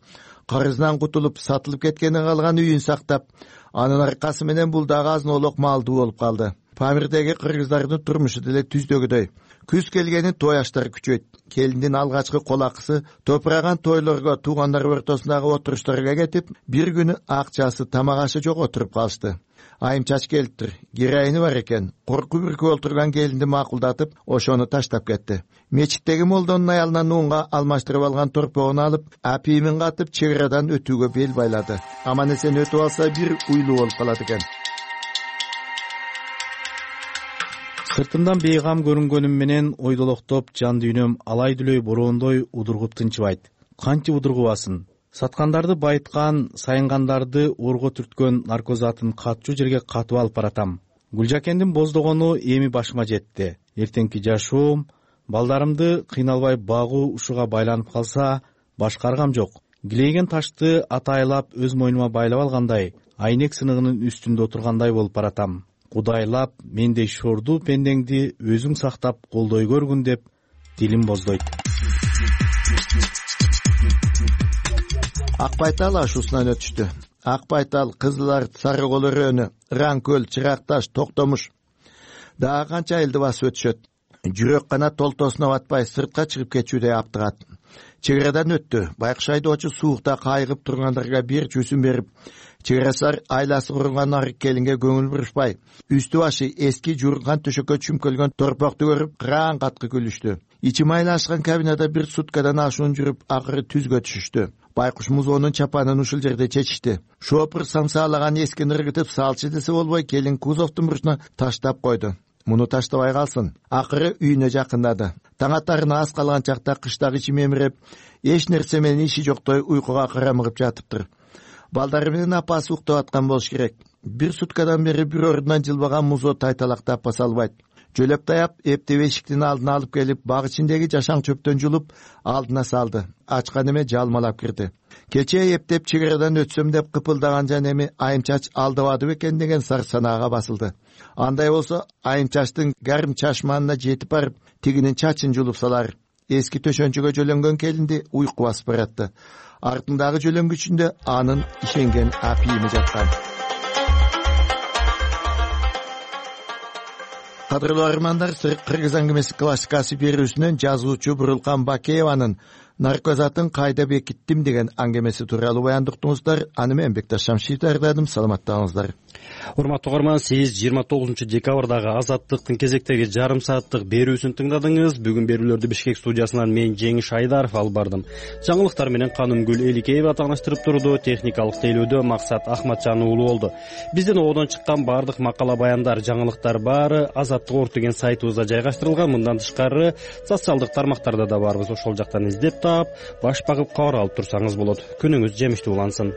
карызынан кутулуп, сатылып кеткени калган үйүн сактап, анын аркасы менен бул дагы азынолук малдуу болуп калды. Памирдеги кыргыздардын турмушу деле түздөгүдөй. Күз келгени той аштар күчөйт. Келиндин алгачкы кол акысы топураган тойлорго, туугандар ортосундагы отуруштарга кетип, бир күнү акчасы тамак ашы жок отуруп калышты. Айымчач келиптир. Героини бар экен. Корку бүркүп отурган келинди макулдатып, ошону таштап кетти. Мечиттеги молдонун аялынан унга алмаштырып алган торпогун алып, апийимин катып, чек арадан өтүүгө бел байлады. Аман эсен өтүп алса бир уйлуу болуп калат экен. Сыртымдан бейгам көрүнгөнүм менен ойдолоктоп жан дүйнөм алай дүлөй бороондой удургуп тынчыбайт. Канчы удургубасын? Саткандарды байыткан, сайынгандарды орго түрткөн наркозатын катчу жерге катып алып баратам. Гүлжакендин боздогону эми башыма жетти. Эртеңки жашоом, балдарымды кыйналбай багуу ушуга байланып калса, башка аргам жок. Килейген ташты атайлап өз мойнума байлап алгандай, айнек сыныгынын үстүндө отургандай болуп баратам. Кудайлап, мендей шордуу пендеңди өзүң сактап колдой көргүн деп дилим боздойт. Ак байтал ашуусунан өтүштү. Ак байтал, Кызыл Арт, Сары Кол өрөөнү, Ыран-Көл, Чыракташ, Токтомуш дагы канча айылды басып өтүшөт. Жүрөк гана толтосуна батпай сыртка чыгып кетүүдөй аптыгат. Чек арадан өттү. Байкуш айдоочу суукта кайгып тургандарга бир чүүсүн берип, чек арасар айласы курунган арык келинге көңүл бурушпай, үстү башы эски журган төшөккө чүмкөлгөн торпокту көрүп кыраан каткы күлүштү. Ичи майлашкан кабинада бир суткадан ашуун жүрүп, акыры түзгө түшүштү. Байкуш музоонун чапанын ушул жерде чечишти. Шопур самсаалаган эскини ыргытып салчы десе болбой, келин кузовдун бурчуна таштап койду. Муну таштабай калсын. Акыры үйүнө жакындады. Таң атарына аз калган чакта кыштагы ичи мемиреп, эч нерсе менен иши жоктой уйкуга карамыгып жатыптыр. Балдары менен апасы уктап аткан болуш керек. Бир суткадан бери бир ордунан жылбаган музоо тайталактап баса албайт. Жөлөп таяп, эптеп эшиктин алдына алып келип, баг ичиндеги жашаң чөптөн жулуп, алдына салды. Ачкан эме жалмалап кирди. кечээ эптеп чек арадан өтсөм деп кыпылдаган жан эми айым чач алдабады бекен деген сар санаага басылды. Андай болсо айым чачтын гарым чашманына жетип барып тигинин чачын жулуп салар. Эски төшөнчөгө жөлөнгөн келинди уйку басып баратты. Артындагы жөлөнгүчүндө анын ишенген апийими жаткан. Кадырлуу армандар, Кыргыз аңгемеси классикасы берүүсүнөн жазуучу Бурулкан Бакееванын наркозатын кайда бекиттим деген аңгемеси тууралуу баяндыктыңыздар. Аны мен Бекташ Шамшиев даярдадым. Саламаттаңыздар. Урматтуу угарман, сиз 29 декабрдагы Азаттыктын кезектеги жарым сааттык берүүсүн тыңдадыңыз. Бүгүн берүүлөрдү Бишкек студиясынан мен Жеңиш Айдаров алып бардым. Жаңылыктар менен Канымгүл Эликеева тааныштырып турду. Техникалык тейлөөдө Максат Ахматжан уулу болду. Биздин одон чыккан бардык макала баяндар, жаңылыктар баары Азаттык.org деген сайтыбызда жайгаштырылган. Мындан тышкары социалдык тармактарда да барбыз. Ошол жактан издеп таап, баш багып кабар алып турсаңыз болот. Күнүңүз жемиштүү улансын.